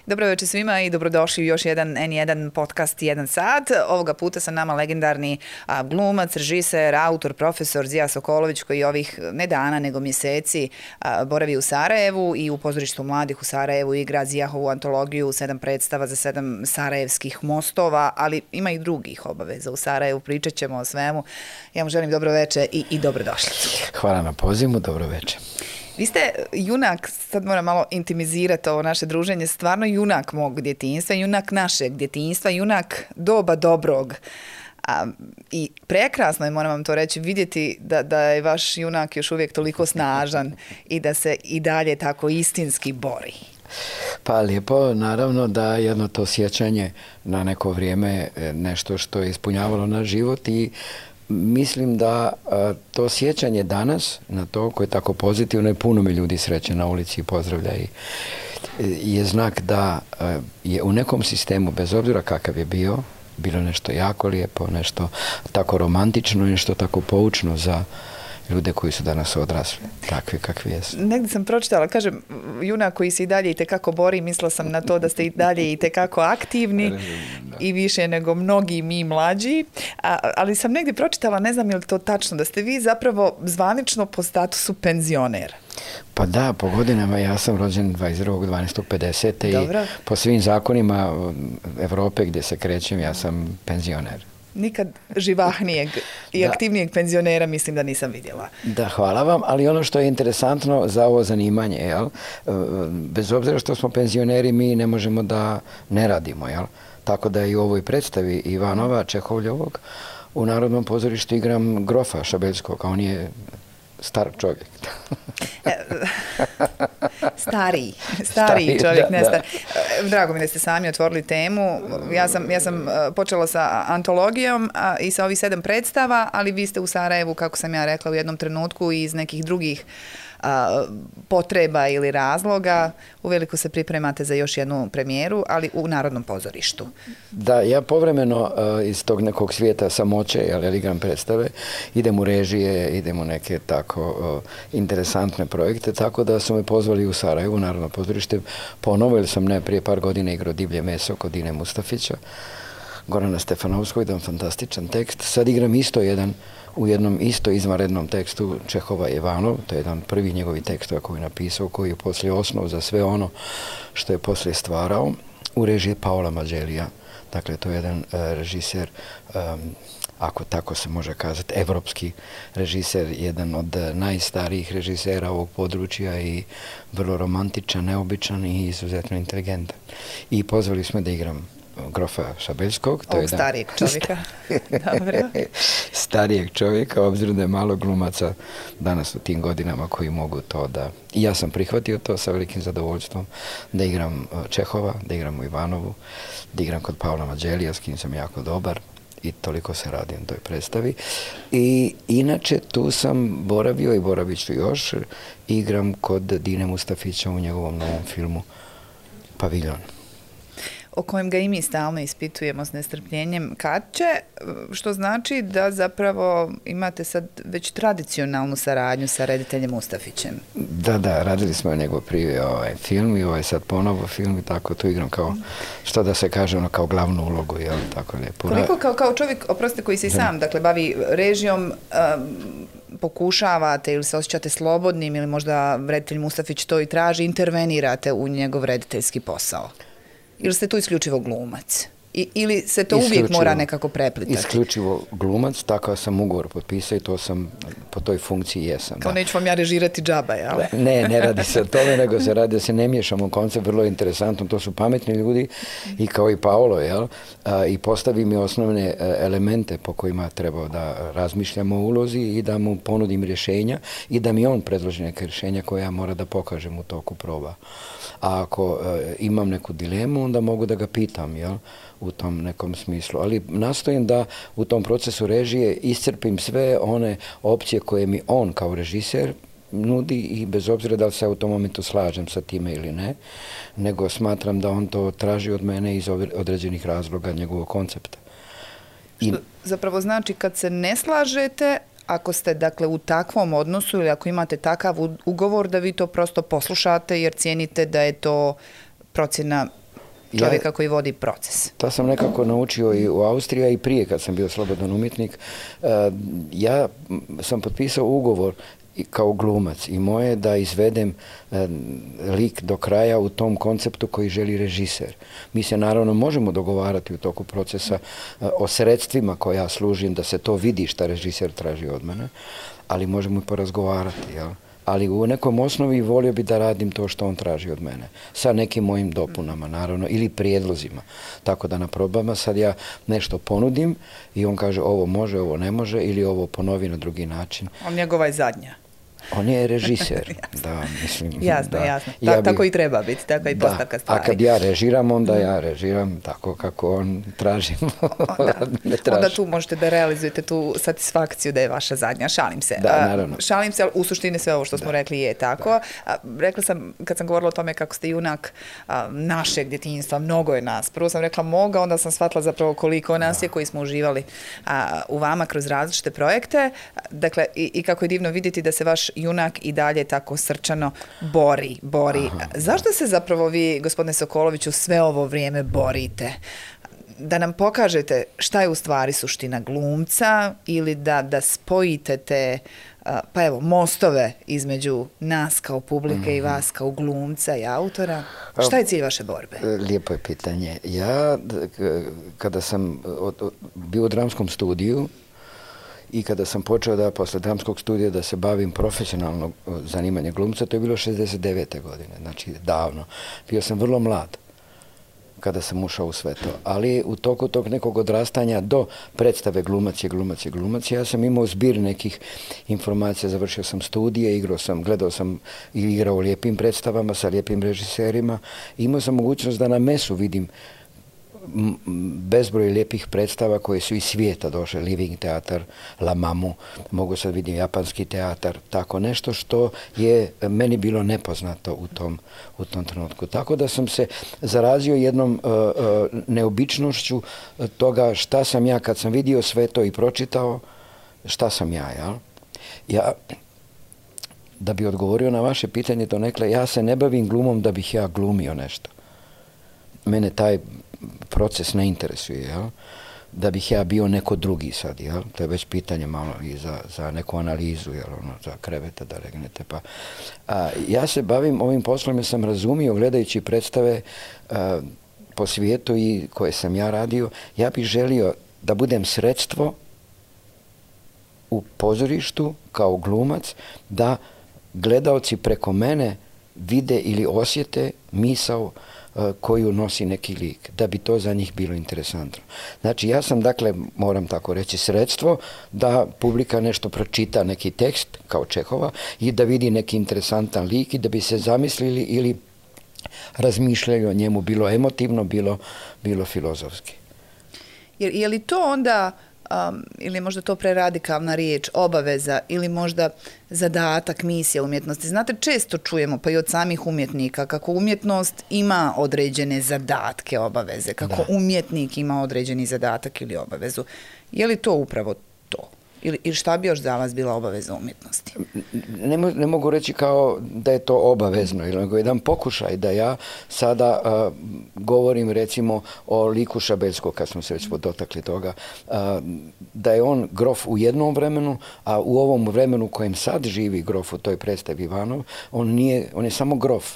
Dobro večer svima i dobrodošli u još jedan N1 podcast 1 sat. Ovoga puta sa nama legendarni glumac, režiser, autor, profesor Zija Sokolović koji ovih ne dana nego mjeseci boravi u Sarajevu i u pozorištu mladih u Sarajevu igra Zijahovu antologiju 7 predstava za 7 sarajevskih mostova, ali ima i drugih obaveza u Sarajevu, pričat ćemo o svemu. Ja mu želim dobro večer i dobrodošlicu. Hvala na pozivu, dobro večer. Vi ste junak, sad moram malo intimizirati ovo naše druženje, stvarno junak mog djetinjstva, junak našeg djetinjstva, junak doba dobrog. I prekrasno je, moram vam to reći, vidjeti da je vaš junak još uvijek toliko snažan i da se i dalje tako istinski bori. Pa lijepo, naravno da jedno to sjećanje na neko vrijeme nešto što je ispunjavalo naš život i mislim da to sjećanje danas na to koje je tako pozitivno i puno mi ljudi sreće na ulici i pozdravlja i je znak da je u nekom sistemu, bez obzira kakav je bilo nešto jako lijepo, nešto tako romantično i nešto tako poučno za ljude koji su danas odrasli, takvi kakvi jesu. Negdje sam pročitala, kažem, junak koji se i dalje itekako bori, mislila sam na to da ste i dalje itekako aktivni i više nego mnogi mi mlađi, ali sam negdje pročitala, ne znam je li to tačno, da ste vi zapravo zvanično po statusu penzioner. Pa da, po godinama ja sam rođen 22.12.50. i po svim zakonima Evrope gdje se krećem ja sam penzioner. Nikad živahnijeg i aktivnijeg penzionera mislim da nisam vidjela. Da, hvala vam, ali ono što je interesantno za ovo zanimanje, jel? Bez obzira što smo penzioneri, mi ne možemo da ne radimo, jel? Tako da i u ovoj predstavi Ivanova Čehovljevog u Narodnom pozorištu igram grofa Šabeljskog, a on je star čovjek. Stariji čovjek, ne star. Drago mi da ste sami otvorili temu. Ja sam počela sa antologijom i sa ovih 7 predstava, ali vi ste u Sarajevu, kako sam ja rekla, u jednom trenutku iz nekih drugih potreba ili razloga uveliko se pripremate za još jednu premijeru, ali u Narodnom pozorištu. Da, ja povremeno iz tog nekog svijeta samoće, jer igram predstave, idem u režije, idem u neke tako interesantne projekte, tako da su me pozvali u Sarajevu, u Narodno pozorište, ponovo, jer sam prije par godina igrao Divlje meso kod Dine Mustafića, Gorana Stefanovskog, jedan fantastičan tekst. Sad igram u jednom isto izvanrednom tekstu Čehova Ivanov, to je jedan prvi njegovi tekstova koji je napisao, koji je poslije osnov za sve ono što je poslije stvarao, u režiji Paola Maggiellija. Dakle, to je jedan režiser, ako tako se može kazati, evropski režiser, jedan od najstarijih režisera ovog područja i vrlo romantičan, neobičan i izuzetno inteligentan. I pozvali smo da igram grofa Šabeljskog. Ovog starijeg čovjeka. Starijeg čovjeka, obzirom da je malo glumaca danas u tim godinama koji mogu to da... I ja sam prihvatio to sa velikim zadovoljstvom da igram Čehova, da igram u Ivanovu, da igram kod Paola Maggiellija, s kim sam jako dobar i toliko se radim toj predstavi. I inače tu sam boravio i boravit ću još, igram kod Dine Mustafića u njegovom novom filmu Paviljon, o kojem ga i mi stalno ispitujemo s nestrpljenjem kad će, što znači da zapravo imate sad već tradicionalnu saradnju sa rediteljem Mustafićem. Da, radili smo njegov prije film i ovaj sad ponovo film i tako tu igram kao, što da se kaže, kao glavnu ulogu, jel, tako lijepo. Koliko kao čovjek, oprostite, koji se i sam, dakle, bavi režijom, pokušavate ili se osjećate slobodnim ili možda reditelj Mustafić to i traži, intervenirate u njegov rediteljski posao? Ili ste tu isključivo glumac? Ili se to uvijek mora nekako preplitati? Isključivo glumac, takav sam ugovor potpisao i to sam po toj funkciji jesam. Kao neću vam ja režirati džaba, jel? Ne radi se o tome, nego se radi da se ne miješamo u koncept, vrlo interesantno, to su pametni ljudi i kao i Paolo, jel? I postavi mi osnovne elemente po kojima treba da razmišljamo o ulozi i da mu ponudim rješenja i da mi on predloži neke rješenja koje ja mora da pokažem u toku proba. A ako imam neku dilemu, onda mogu da ga pitam, jel? U tom nekom smislu. Ali nastojim da u tom procesu režije iscrpim sve one opcije koje mi on kao režiser nudi i bez obzira da li se u tom momentu slažem sa time ili ne, nego smatram da on to traži od mene iz određenih razloga njegovog koncepta. Što zapravo znači kad se ne slažete, ako ste dakle u takvom odnosu ili ako imate takav ugovor da vi to prosto poslušate jer cijenite da je to procjena čovjeka koji vodi proces. To sam nekako naučio i u Austriji, a i prije kad sam bio slobodan umjetnik. Ja sam potpisao ugovor kao glumac i moje da izvedem lik do kraja u tom konceptu koji želi režiser. Mi se naravno možemo dogovarati u toku procesa o sredstvima koja ja služim da se to vidi šta režiser traži od mene, ali možemo i porazgovarati, jel? Ali u nekom osnovi volio bi da radim to što on traži od mene. Sa nekim mojim dopunama, naravno, ili prijedlozima. Tako da na probama sad ja nešto ponudim i on kaže ovo može, ovo ne može, ili ovo ponovi na drugi način. On njegova je zadnja. On je režiser. Da, mislim. Jasno. Tako i treba biti, tako i postavka stvari. A kad ja režiram, onda ja režiram tako kako on traži. Onda tu možete da realizujete tu satisfakciju da je vaša zadnja. Šalim se. Da, naravno. Šalim se, ali u suštini sve ovo što smo rekli je tako. Rekla sam, kad sam govorila o tome kako ste junak našeg djetinjstva, mnogo je nas. Prvo sam rekla moga, onda sam shvatila zapravo koliko nas je koji smo uživali u vama kroz različite projekte. Dakle, i kako je divno vidjeti da se vaš junak i dalje tako srčano bori. Zašto se zapravo vi, gospodine Sokoloviću, sve ovo vrijeme borite? Da nam pokažete šta je u stvari suština glumca ili da spojite te mostove između nas kao publike i vas kao glumca i autora? Šta je cilj vaše borbe? Lijepo je pitanje. Ja, kada sam bio u dramskom studiju, i kada sam počeo da posle dramskog studija da se bavim profesionalno zanimanje glumca, to je bilo 69. godine, znači davno. Bio sam vrlo mlad kada sam ušao u sve to, ali u toku tog nekog odrastanja do predstave glumac, ja sam imao zbir nekih informacija, završio sam studije, gledao sam i igrao u lijepim predstavama sa lijepim režiserima, imao sam mogućnost da na mesu vidim bezbroj lijepih predstava koje su iz svijeta došle, Living teatar, La Mamu, mogu sad vidim japanski teatar, tako nešto što je meni bilo nepoznato u tom trenutku. Tako da sam se zarazio jednom neobičnošću toga šta sam ja kad sam vidio sve to i pročitao, šta sam ja, jel? Ja, da bi odgovorio na vaše pitanje donekle, ja se ne bavim glumom da bih ja glumio nešto. Mene taj proces ne interesuje, jel? Da bih ja bio neko drugi sad, jel? To je već pitanje malo i za neku analizu, jel? Za kreveta da legnete. Ja se bavim ovim poslom jer sam razumio, gledajući predstave po svijetu i koje sam ja radio, ja bih želio da budem sredstvo u pozorištu kao glumac, da gledaoci preko mene vide ili osjete misao koju nosi neki lik, da bi to za njih bilo interesantno. Znači, ja sam, dakle, moram tako reći, sredstvo da publika nešto pročita, neki tekst, kao Čehova, i da vidi neki interesantan lik i da bi se zamislili ili razmišljali o njemu, bilo emotivno, bilo filozofski. Je li to onda, ili možda to preradikalna riječ, obaveza ili možda zadatak, misija umjetnosti? Znate, često čujemo, pa i od samih umjetnika, kako umjetnost ima određene zadatke, obaveze, kako umjetnik ima određeni zadatak ili obavezu. Je li to upravo to? Ili šta bi još za vas bila obaveza umjetnosti? Ne mogu reći kao da je to obavezno, nego jedan pokušaj da ja sada govorim recimo o liku Šabelskog, kad smo se već dotakli toga, da je on grof u jednom vremenu, a u ovom vremenu kojem sad živi grof u toj predstavi Ivanov, on je samo grof,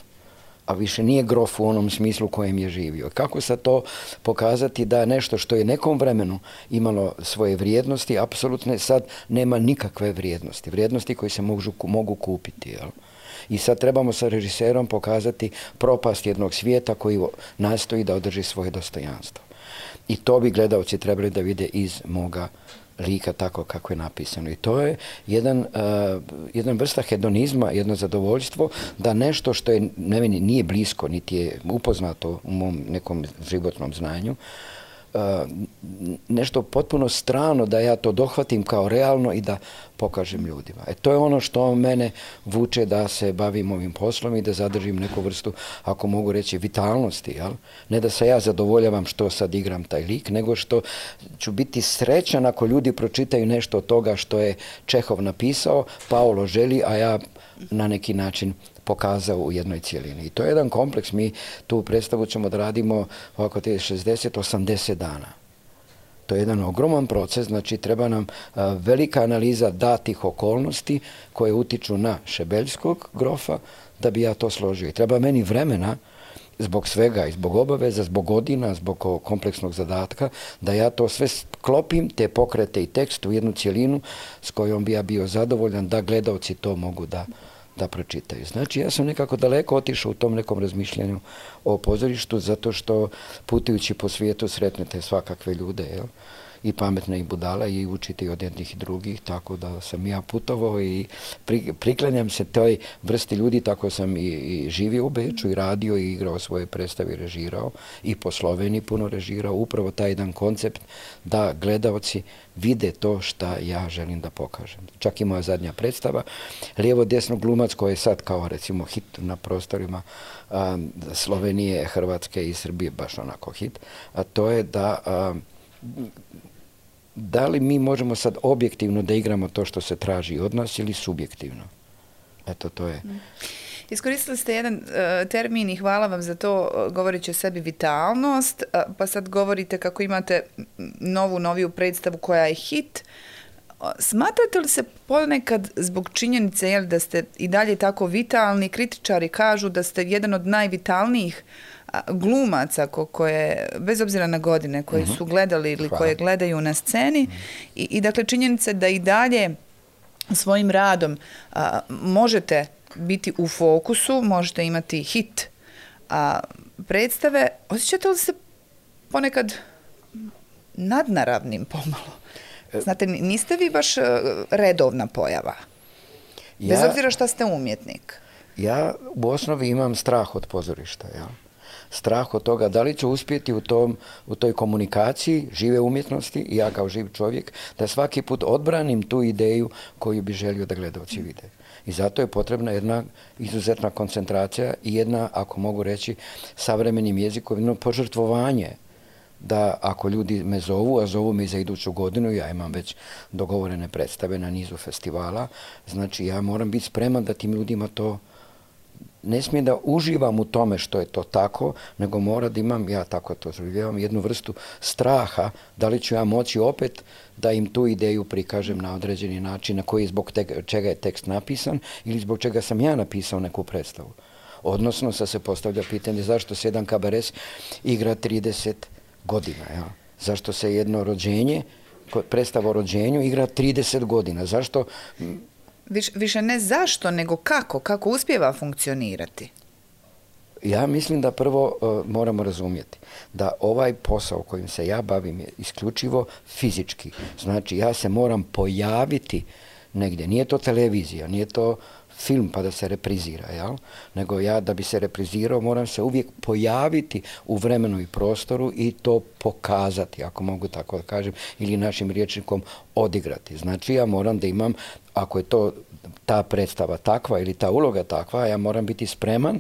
a više nije grof u onom smislu kojem je živio. Kako sad to pokazati da nešto što je nekom vremenu imalo svoje vrijednosti, apsolutne, sad nema nikakve vrijednosti. Vrijednosti koje se mogu kupiti. Jel? I sad trebamo sa režiserom pokazati propast jednog svijeta koji nastoji da održi svoje dostojanstvo. I to bi gledaoci trebali da vide iz moga lika tako kako je napisano. I to je jedan vrsta hedonizma, jedno zadovoljstvo da nešto što je meni nije blisko, niti je upoznato u mom nekom životnom znanju, nešto potpuno strano da ja to dohvatim kao realno i da pokažem ljudima. To je ono što mene vuče da se bavim ovim poslom i da zadržim neku vrstu, ako mogu reći, vitalnosti. Jel? Ne da se ja zadovoljavam što sad igram taj lik, nego što ću biti srećan ako ljudi pročitaju nešto od toga što je Čehov napisao, Paolo želi, a ja na neki način pokazao u jednoj cijelini. I to je jedan kompleks. Mi tu predstavu ćemo da radimo ovako 60-80 dana. To je jedan ogroman proces, znači treba nam velika analiza datih okolnosti koje utiču na Šebeljskog grofa da bi ja to složio. I treba meni vremena zbog svega i zbog obaveza, zbog godina, zbog kompleksnog zadatka, da ja to sve sklopim, te pokrete i tekst u jednu cijelinu s kojom bi ja bio zadovoljan da gledaoci to mogu da pročitaju. Znači, ja sam nekako daleko otišao u tom nekom razmišljanju o pozorištu, zato što putujući po svijetu sretnete svakakve ljude, jel? I pametne i budala i učiti od jednih i drugih, tako da sam ja putovao i priklanjam se toj vrsti ljudi, tako sam i živio u Beču i radio i igrao svoje predstave i režirao i po Sloveniji puno režirao, upravo taj jedan koncept da gledaoci vide to šta ja želim da pokažem. Čak i moja zadnja predstava, lijevo-desno glumac koji je sad kao recimo hit na prostorima Slovenije, Hrvatske i Srbije, baš onako hit, a to je da li mi možemo sad objektivno da igramo to što se traži od nas ili subjektivno? Eto, to je. Iskoristili ste jedan termin i hvala vam za to, govoreći o sebi vitalnost, pa sad govorite kako imate noviju predstavu koja je hit. Smatrate li se ponekad zbog činjenice da ste i dalje tako vitalni, kritičari kažu da ste jedan od najvitalnijih glumaca koje, bez obzira na godine, koje su gledali ili koje gledaju na sceni i dakle činjenica da i dalje svojim radom možete biti u fokusu, možete imati hit predstave. Osjećate li se ponekad nadnaravnim pomalo? Znate, niste vi baš redovna pojava. Bez obzira šta ste umjetnik. Ja u osnovi imam strah od pozorišta, jel? Strah od toga da li ću uspjeti u toj komunikaciji žive umjetnosti i ja kao živ čovjek da svaki put odbranim tu ideju koju bi želio da gledalci vide. I zato je potrebna jedna izuzetna koncentracija i jedna, ako mogu reći, savremenim jezikom, jedno požrtvovanje da ako ljudi me zovu, a zovu me za iduću godinu, ja imam već dogovorene predstave na nizu festivala, znači ja moram biti spreman da tim ljudima to ne smijem da uživam u tome što je to tako, nego mora da imam, ja tako to življavam, jednu vrstu straha da li ću ja moći opet da im tu ideju prikažem na određeni način, na koji zbog čega je tekst napisan ili zbog čega sam ja napisao neku predstavu. Odnosno, sad se postavlja pitanje zašto se jedan kabaret igra 30 godina, ja? Zašto se jedno rođenje, predstava o rođenju igra 30 godina, zašto... Više ne zašto, nego kako uspijeva funkcionirati? Ja mislim da prvo moramo razumjeti da ovaj posao kojim se ja bavim je isključivo fizički. Znači, ja se moram pojaviti negdje. Nije to televizija, nije to film pa da se reprizira, jel? Nego ja da bi se reprizirao moram se uvijek pojaviti u vremenu i prostoru i to pokazati, ako mogu tako da kažem, ili našim rječnikom odigrati. Znači ja moram da imam, ako je to ta predstava takva ili ta uloga takva, ja moram biti spreman.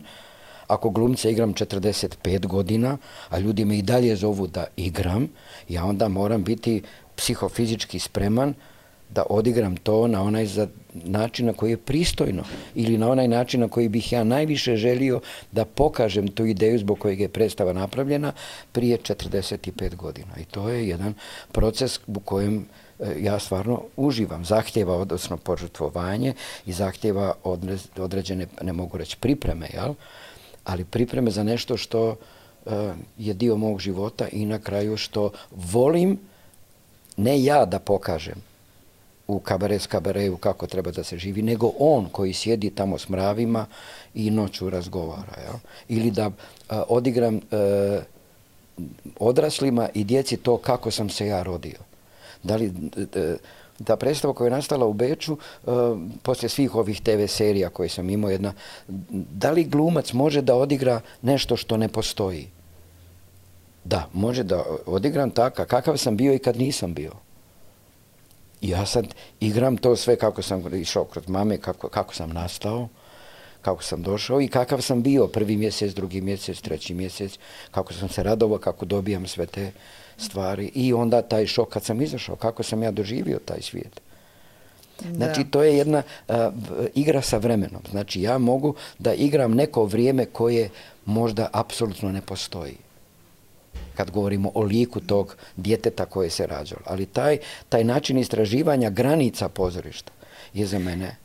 Ako glumce igram 45 godina, a ljudi me i dalje zovu da igram, ja onda moram biti psihofizički spreman da odigram to na onaj način na koji je pristojno ili na onaj način na koji bih ja najviše želio da pokažem tu ideju zbog kojeg je predstava napravljena prije 45 godina. I to je jedan proces u kojem ja stvarno uživam. Zahtjeva odnosno požrtvovanje i zahtjeva određene, ne mogu reći pripreme, jel? Ali pripreme za nešto što je dio mog života i na kraju što volim ne ja da pokažem u kabaretu kako treba da se živi, nego on koji sjedi tamo s mravima i noću razgovara. Jel? Ili da odigram odraslima i djeci to kako sam se ja rodio. Da li ta predstava koja je nastala u Beču, poslije svih ovih TV serija koje sam imao, da li glumac može da odigra nešto što ne postoji? Da, može da odigram tako, kakav sam bio i kad nisam bio. Ja sad igram to sve kako sam išao kroz mame, kako sam nastao, kako sam došao i kakav sam bio prvi mjesec, drugi mjesec, treći mjesec, kako sam se radovao, kako dobijam sve te stvari i onda taj šok kad sam izašao, kako sam ja doživio taj svijet. Znači, to je jedna igra sa vremenom. Znači, ja mogu da igram neko vrijeme koje možda apsolutno ne postoji. Kad govorimo o liku tog djeteta koje se rađalo. Ali taj način istraživanja granica pozorišta je za mene.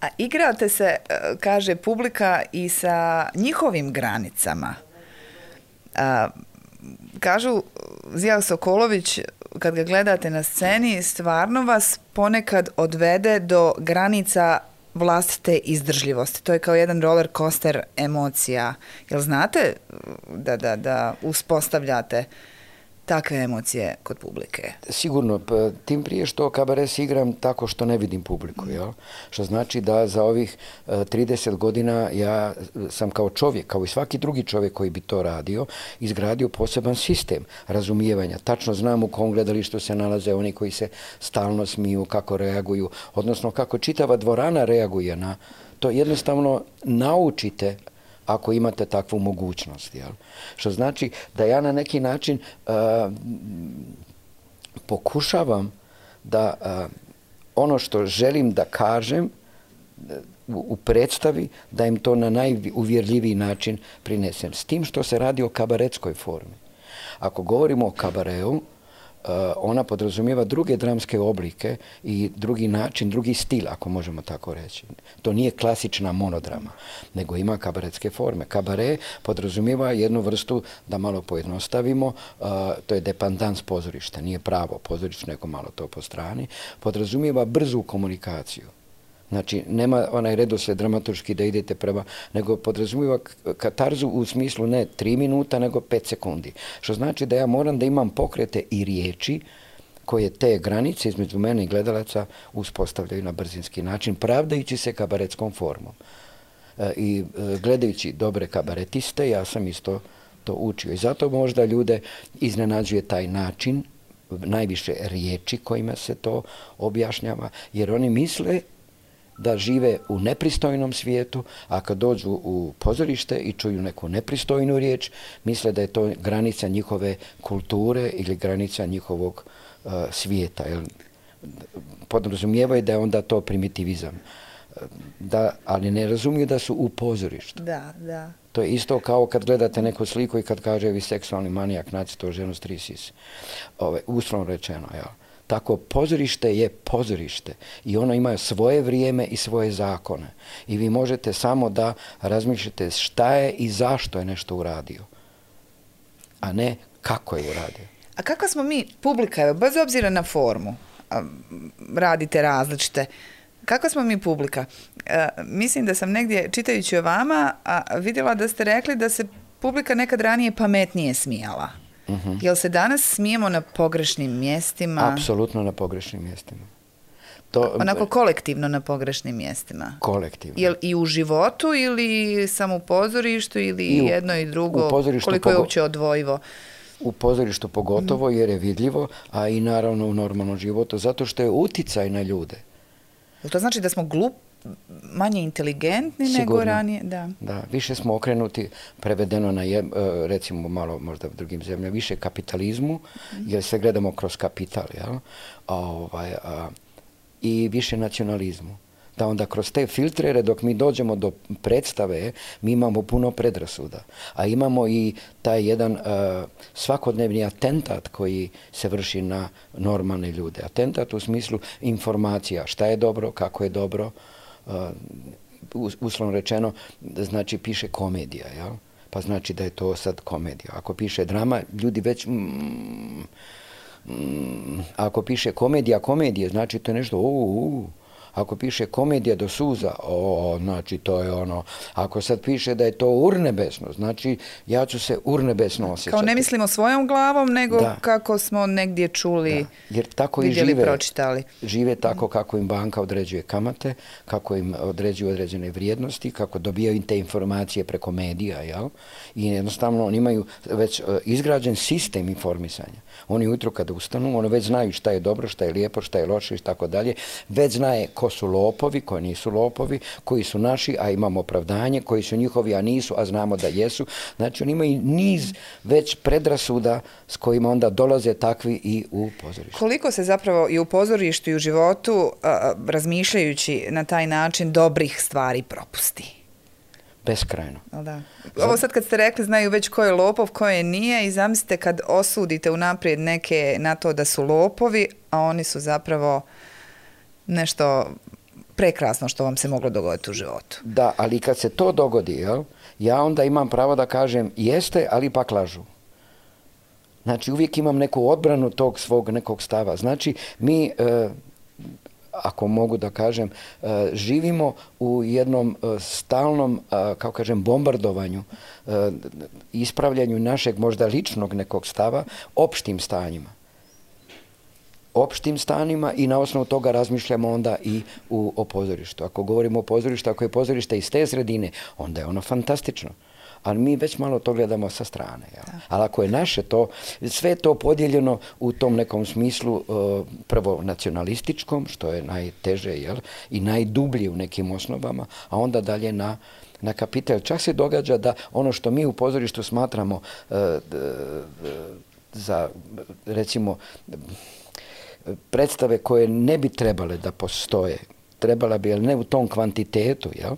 A igrate se, kaže publika, i sa njihovim granicama. Kažu, Zija Sokolović, kad ga gledate na sceni, stvarno vas ponekad odvede do granica vlastite izdržljivosti. To je kao jedan roller coaster emocija. Jel znate da uspostavljate takve emocije kod publike? Sigurno, tim prije što kabaret igram tako što ne vidim publiku, jel? Što znači da za ovih 30 godina ja sam kao čovjek, kao i svaki drugi čovjek koji bi to radio, izgradio poseban sistem razumijevanja. Tačno znam u kom gledalištu se nalaze oni koji se stalno smiju, kako reaguju, odnosno kako čitava dvorana reaguje na to. Jednostavno naučite ako imate takvu mogućnost. Jel? Što znači da ja na neki način pokušavam da ono što želim da kažem u predstavi, da im to na najuvjerljiviji način prinesem. S tim što se radi o kabaretskoj formi. Ako govorimo o kabareu, ona podrazumijeva druge dramske oblike i drugi način, drugi stil, ako možemo tako reći. To nije klasična monodrama, nego ima kabaretske forme. Kabare podrazumijeva jednu vrstu, da malo pojednostavimo, to je dependans pozorišta, nije pravo pozorište, nego malo to po strani, podrazumijeva brzu komunikaciju. Znači, nema onaj redoslijed dramaturški da idete prema, nego podrazumijeva katarzu u smislu ne 3 minuta, nego 5 sekundi. Što znači da ja moram da imam pokrete i riječi koje te granice između mene i gledalaca uspostavljaju na brzinski način, pravdajući se kabaretskom formom. I gledajući dobre kabaretiste, ja sam isto to učio. I zato možda ljude iznenađuje taj način, najviše riječi kojima se to objašnjava, jer oni misle da žive u nepristojnom svijetu, a kad dođu u pozorište i čuju neku nepristojnu riječ, misle da je to granica njihove kulture ili granica njihovog svijeta. Podrazumijevaju da je onda to primitivizam. Ali ne razumiju da su u pozorištu. Da. To je isto kao kad gledate neku sliku i kad kaže vi seksualni manijak, naći to ženu s 3 sise. Uslovno rečeno, jel? Tako, pozorište je pozorište i ono ima svoje vrijeme i svoje zakone. I vi možete samo da razmišljate šta je i zašto je nešto uradio, a ne kako je uradio. A kakva smo mi, publika, bez obzira na formu, radite različite, kakva smo mi publika? Mislim da sam negdje, čitajući o vama, vidjela da ste rekli da se publika nekad ranije pametnije smijala. Jel se danas smijemo na pogrešnim mjestima? Apsolutno na pogrešnim mjestima. Onako kolektivno na pogrešnim mjestima? Kolektivno. Jel i u životu ili samo u pozorištu ili jedno i drugo? Koliko je uopće odvojivo? U pozorištu pogotovo jer je vidljivo, a i naravno u normalnom životu, zato što je uticaj na ljude. To znači da smo manje inteligentni nego ranije? Da, više smo okrenuti, prevedeno na, recimo malo možda u drugim zemljama, više kapitalizmu, jer sve gledamo kroz kapital, jel? I više nacionalizmu. Da onda kroz te filtrere, dok mi dođemo do predstave, mi imamo puno predrasuda. A imamo i taj jedan svakodnevni atentat koji se vrši na normalne ljude. Atentat u smislu informacija, šta je dobro, kako je dobro, uslovno rečeno, znači piše komedija, jel? Pa znači da je to sad komedija. Ako piše drama, ljudi već... Ako piše komedije, znači to je nešto... Ako piše komedija do suza, znači to je ono. Ako sad piše da je to urnebesno, znači ja ću se urnebesno osjećati. Kao ne mislimo svojom glavom, nego kako smo negdje čuli, jer tako vidjeli, i žive, pročitali. Žive tako kako im banka određuje kamate, kako im određuju određene vrijednosti, kako dobijaju te informacije preko medija, jel? I jednostavno oni imaju već izgrađen sistem informisanja. Oni ujutro kada ustanu, oni već znaju šta je dobro, šta je lijepo, šta je loše i tako dalje. Već znaje ko su lopovi, koji nisu lopovi, koji su naši, a imamo opravdanje, koji su njihovi, a nisu, a znamo da jesu. Znači, oni imaju niz već predrasuda s kojima onda dolaze takvi i u pozorištu. Koliko se zapravo i u pozorištu i u životu, razmišljajući na taj način, dobrih stvari propusti? Beskrajno. Da. Ovo sad kad ste rekli, znaju već ko je lopov, ko je nije, i zamislite kad osudite unaprijed neke na to da su lopovi, a oni su zapravo nešto prekrasno što vam se moglo dogoditi u životu. Da, ali kad se to dogodi, jel, ja onda imam pravo da kažem jeste, ali ipak lažu. Znači, uvijek imam neku odbranu tog svog nekog stava. Znači, mi, ako mogu da kažem, živimo u jednom stalnom, kako kažem, bombardovanju, ispravljanju našeg možda ličnog nekog stava opštim stanjima. Opštim stanjima i na osnovu toga razmišljamo onda i o pozorištu. Ako govorimo o pozorištu, ako je pozorište iz te sredine, onda je ono fantastično. Ali mi već malo to gledamo sa strane. Ali ako je naše to, sve to podijeljeno u tom nekom smislu, prvo nacionalističkom, što je najteže, jel, i najdublje u nekim osnovama, a onda dalje na kapital. Čak se događa da ono što mi u pozorištu smatramo za, recimo, predstave koje ne bi trebale da postoje, trebala bi, ali ne u tom kvantitetu, jel,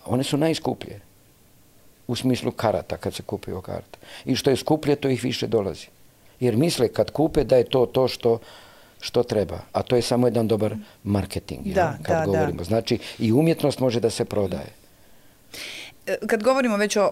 one su najskuplje. U smislu karata, kad se kupuju karte. I što je skuplje, to ih više dolazi. Jer misle kad kupe da je to što treba. A to je samo jedan dobar marketing, kad govorimo. Znači, i umjetnost može da se prodaje. Kad govorimo već o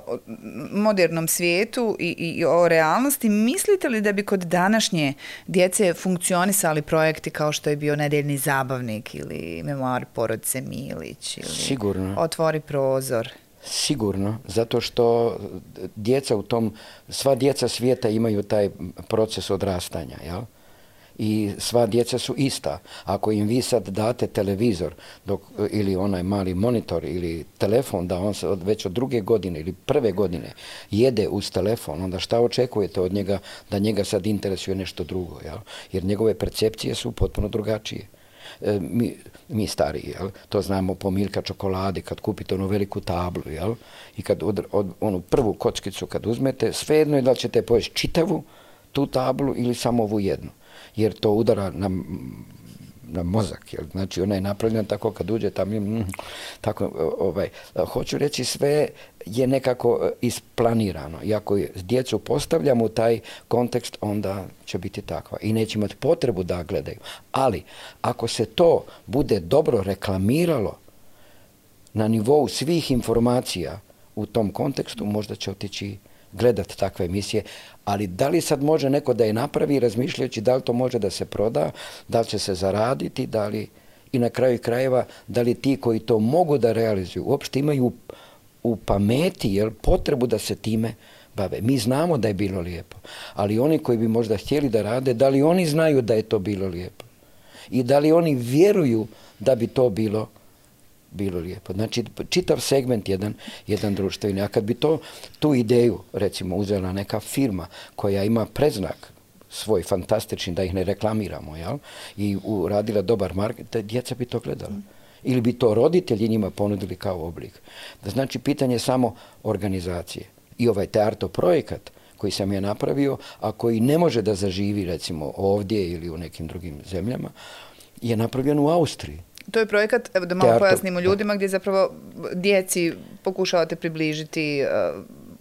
modernom svijetu i o realnosti, mislite li da bi kod današnje djece funkcionisali projekti kao što je bio Nedeljni zabavnik ili Memoari porodice Milić ili Sigurno. Otvori prozor? Sigurno, zato što djeca sva djeca svijeta imaju taj proces odrastanja, jel? I sva djeca su ista. Ako im vi sad date televizor ili onaj mali monitor ili telefon, da on već od 2. godine ili 1. godine jede uz telefon, onda šta očekujete od njega da njega sad interesuje nešto drugo, jel? Jer njegove percepcije su potpuno drugačije. Mi stariji, jel? To znamo po Milka čokoladi, kad kupite onu veliku tablu, jel? I kad onu prvu kockicu kad uzmete, svejedno je da li ćete pojesti čitavu tu tablu ili samo ovu jednu. Jer to udara na mozak, jel? Znači ona je napravljena tako kad uđe tam, tako, hoću reći, sve je nekako isplanirano. I ako djecu postavljamo u taj kontekst, onda će biti takva. I neće imati potrebu da gledaju. Ali, ako se to bude dobro reklamiralo na nivou svih informacija u tom kontekstu, možda će otići gledati takve emisije, ali da li sad može neko da je napravi razmišljajući da li to može da se proda, da li će se zaraditi, da li, i na kraju krajeva, da li ti koji to mogu da realizuju uopšte imaju u pameti, jel, potrebu da se time bave. Mi znamo da je bilo lijepo, ali oni koji bi možda htjeli da rade, da li oni znaju da je to bilo lijepo? I da li oni vjeruju da bi to bilo lijepo. Znači, čitav segment jedan društveni. A kad bi tu ideju, recimo, uzela neka firma koja ima predznak svoj fantastični, da ih ne reklamiramo, jel? I uradila dobar market, djeca bi to gledala. Ili bi to roditelji njima ponudili kao oblik. Znači, pitanje je samo organizacije. I ovaj Tearto projekat koji sam ja napravio, a koji ne može da zaživi, recimo, ovdje ili u nekim drugim zemljama, je napravljen u Austriji. To je projekat, evo da malo pojasnimo ljudima, gdje zapravo djeci pokušavate približiti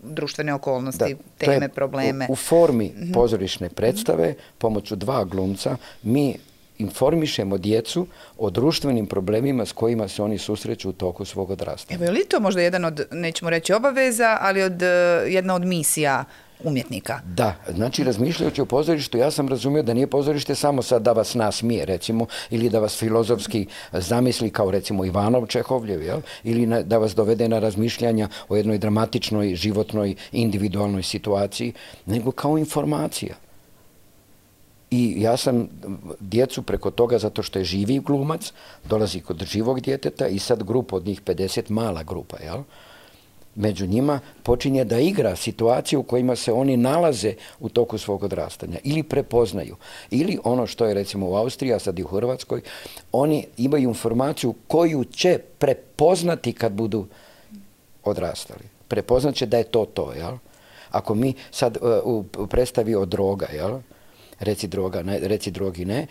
društvene okolnosti, teme, probleme. U formi pozorišne predstave, pomoću 2 glumca, mi informišemo djecu o društvenim problemima s kojima se oni susreću u toku svog odrastanja. Evo, je li to možda jedan od, nećemo reći obaveza, ali jedna od misija umjetnika? Da, znači razmišljajući o pozorištu, ja sam razumio da nije pozorište samo sad da vas nasmije, recimo, ili da vas filozofski zamisli kao, recimo, Ivanov Čehovljev, jel? Ili da vas dovede na razmišljanja o jednoj dramatičnoj, životnoj, individualnoj situaciji, nego kao informacija. I ja sam djecu preko toga, zato što je živi glumac, dolazi kod živog djeteta i sad grupa od njih 50, mala grupa, jel? među njima počinje da igra situaciju u kojima se oni nalaze u toku svog odrastanja ili prepoznaju. Ili ono što je recimo u Austriji, a sad i u Hrvatskoj, oni imaju informaciju koju će prepoznati kad budu odrastali. Prepoznat će da je to, jel? Ako mi sad u predstavi o droga, jel? Reci drogi ne.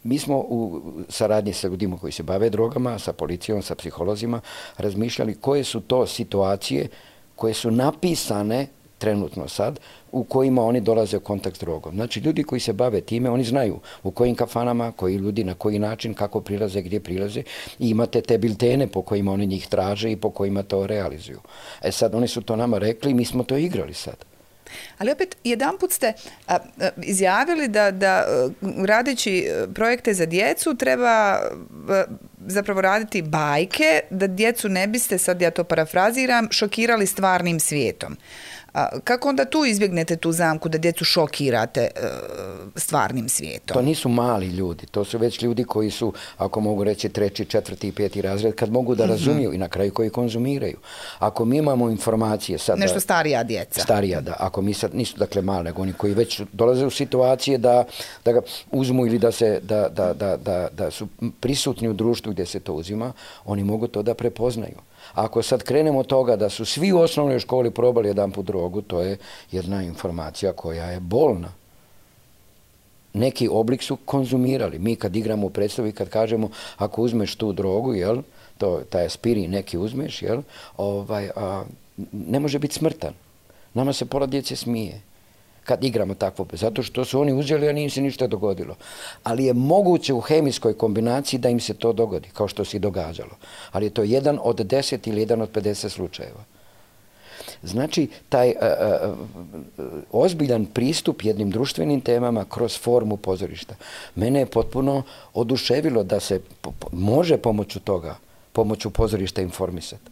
Mi smo u saradnji sa ljudima koji se bave drogama, sa policijom, sa psiholozima, razmišljali koje su to situacije koje su napisane trenutno sad, u kojima oni dolaze u kontakt s drogom. Znači, ljudi koji se bave time, oni znaju u kojim kafanama, koji ljudi, na koji način, kako prilaze, gdje prilaze i imate te biltene po kojima oni njih traže i po kojima to realizuju. Sad, oni su to nama rekli i mi smo to igrali sad. Ali opet, jedanput ste izjavili da radeći projekte za djecu treba zapravo raditi bajke, da djecu ne biste, sad ja to parafraziram, šokirali stvarnim svijetom. Kako onda tu izbjegnete tu zamku da djecu šokirate stvarnim svijetom? To nisu mali ljudi, to su već ljudi koji su, ako mogu reći, 3., 4. i 5. razred, kad mogu da razumiju i na kraju koji konzumiraju. Ako mi imamo informacije sad... Nešto starija djeca. Starija, da. Ako mi sad nisu dakle mali, nego oni koji već dolaze u situacije da ga uzmu ili da su prisutni u društvu gdje se to uzima, oni mogu to da prepoznaju. Ako sad krenemo od toga da su svi u osnovnoj školi probali jedanput drogu, to je jedna informacija koja je bolna. Neki oblik su konzumirali. Mi kad igramo u predstavi, kad kažemo ako uzmeš tu drogu, jel, taj aspirin neki uzmeš, jel, ne može biti smrtan. Nama se pola djece smije kad igramo takvo, zato što su oni uzeli, a nije se ništa dogodilo. Ali je moguće u hemijskoj kombinaciji da im se to dogodi, kao što se i događalo. Ali je to 1 od 10 ili 1 od 50 slučajeva. Znači, taj ozbiljan pristup jednim društvenim temama kroz formu pozorišta. Mene je potpuno oduševilo da se može pomoću toga, pomoću pozorišta informisati.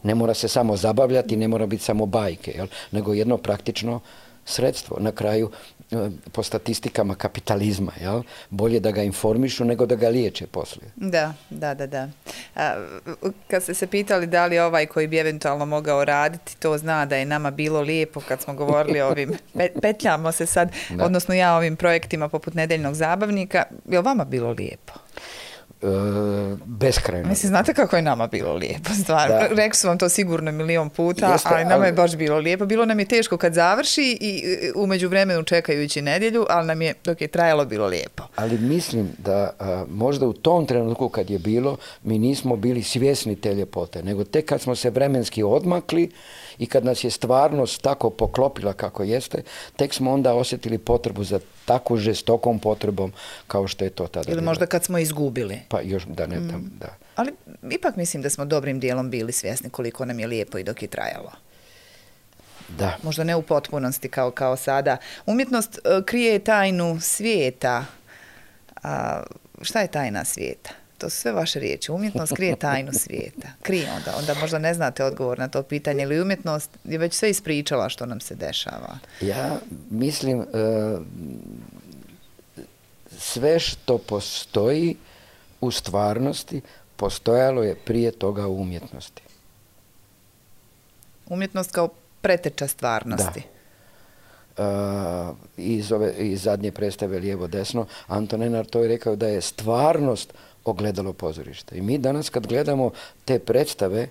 Ne mora se samo zabavljati, ne mora biti samo bajke, jel? Nego jedno praktično sredstvo. Na kraju, po statistikama kapitalizma, jel? Bolje da ga informišu nego da ga liječe poslije. Da. Kad ste se pitali da li ovaj koji bi eventualno mogao raditi, to zna da je nama bilo lijepo kad smo govorili o ovim, petljamo se sad, odnosno ja ovim projektima poput Nedeljnog zabavnika, je li vama bilo lijepo? Beskrajno. Mislim, znate kako je nama bilo lijepo, stvarno. Rekli su vam to sigurno 1.000.000 puta, ali nama je baš bilo lijepo. Bilo nam je teško kad završi i u međuvremenu čekajući nedjelju, ali nam je, dok je trajalo, bilo lijepo. Ali mislim da možda u tom trenutku kad je bilo, mi nismo bili svjesni te ljepote, nego tek kad smo se vremenski odmakli i kad nas je stvarnost tako poklopila kako jeste, tek smo onda osjetili potrebu za tako žestokom potrebom kao što je to tada. Ili možda kad smo izgubili. Pa još da. Ali ipak mislim da smo dobrim dijelom bili svjesni koliko nam je lijepo i dok je trajalo. Da. Možda ne u potpunosti kao sada. Umjetnost krije tajnu svijeta. Šta je tajna svijeta? To su sve vaše riječi. Umjetnost krije tajnu svijeta. Krije onda možda ne znate odgovor na to pitanje, ili umjetnost je već sve ispričala što nam se dešava. Ja mislim sve što postoji u stvarnosti postojalo je prije toga u umjetnosti. Umjetnost kao preteča stvarnosti. Da. Iz zadnje predstave Lijevo desno, Anton Enarto je rekao da je stvarnost ogledalo pozorišta. I mi danas kad gledamo te predstave,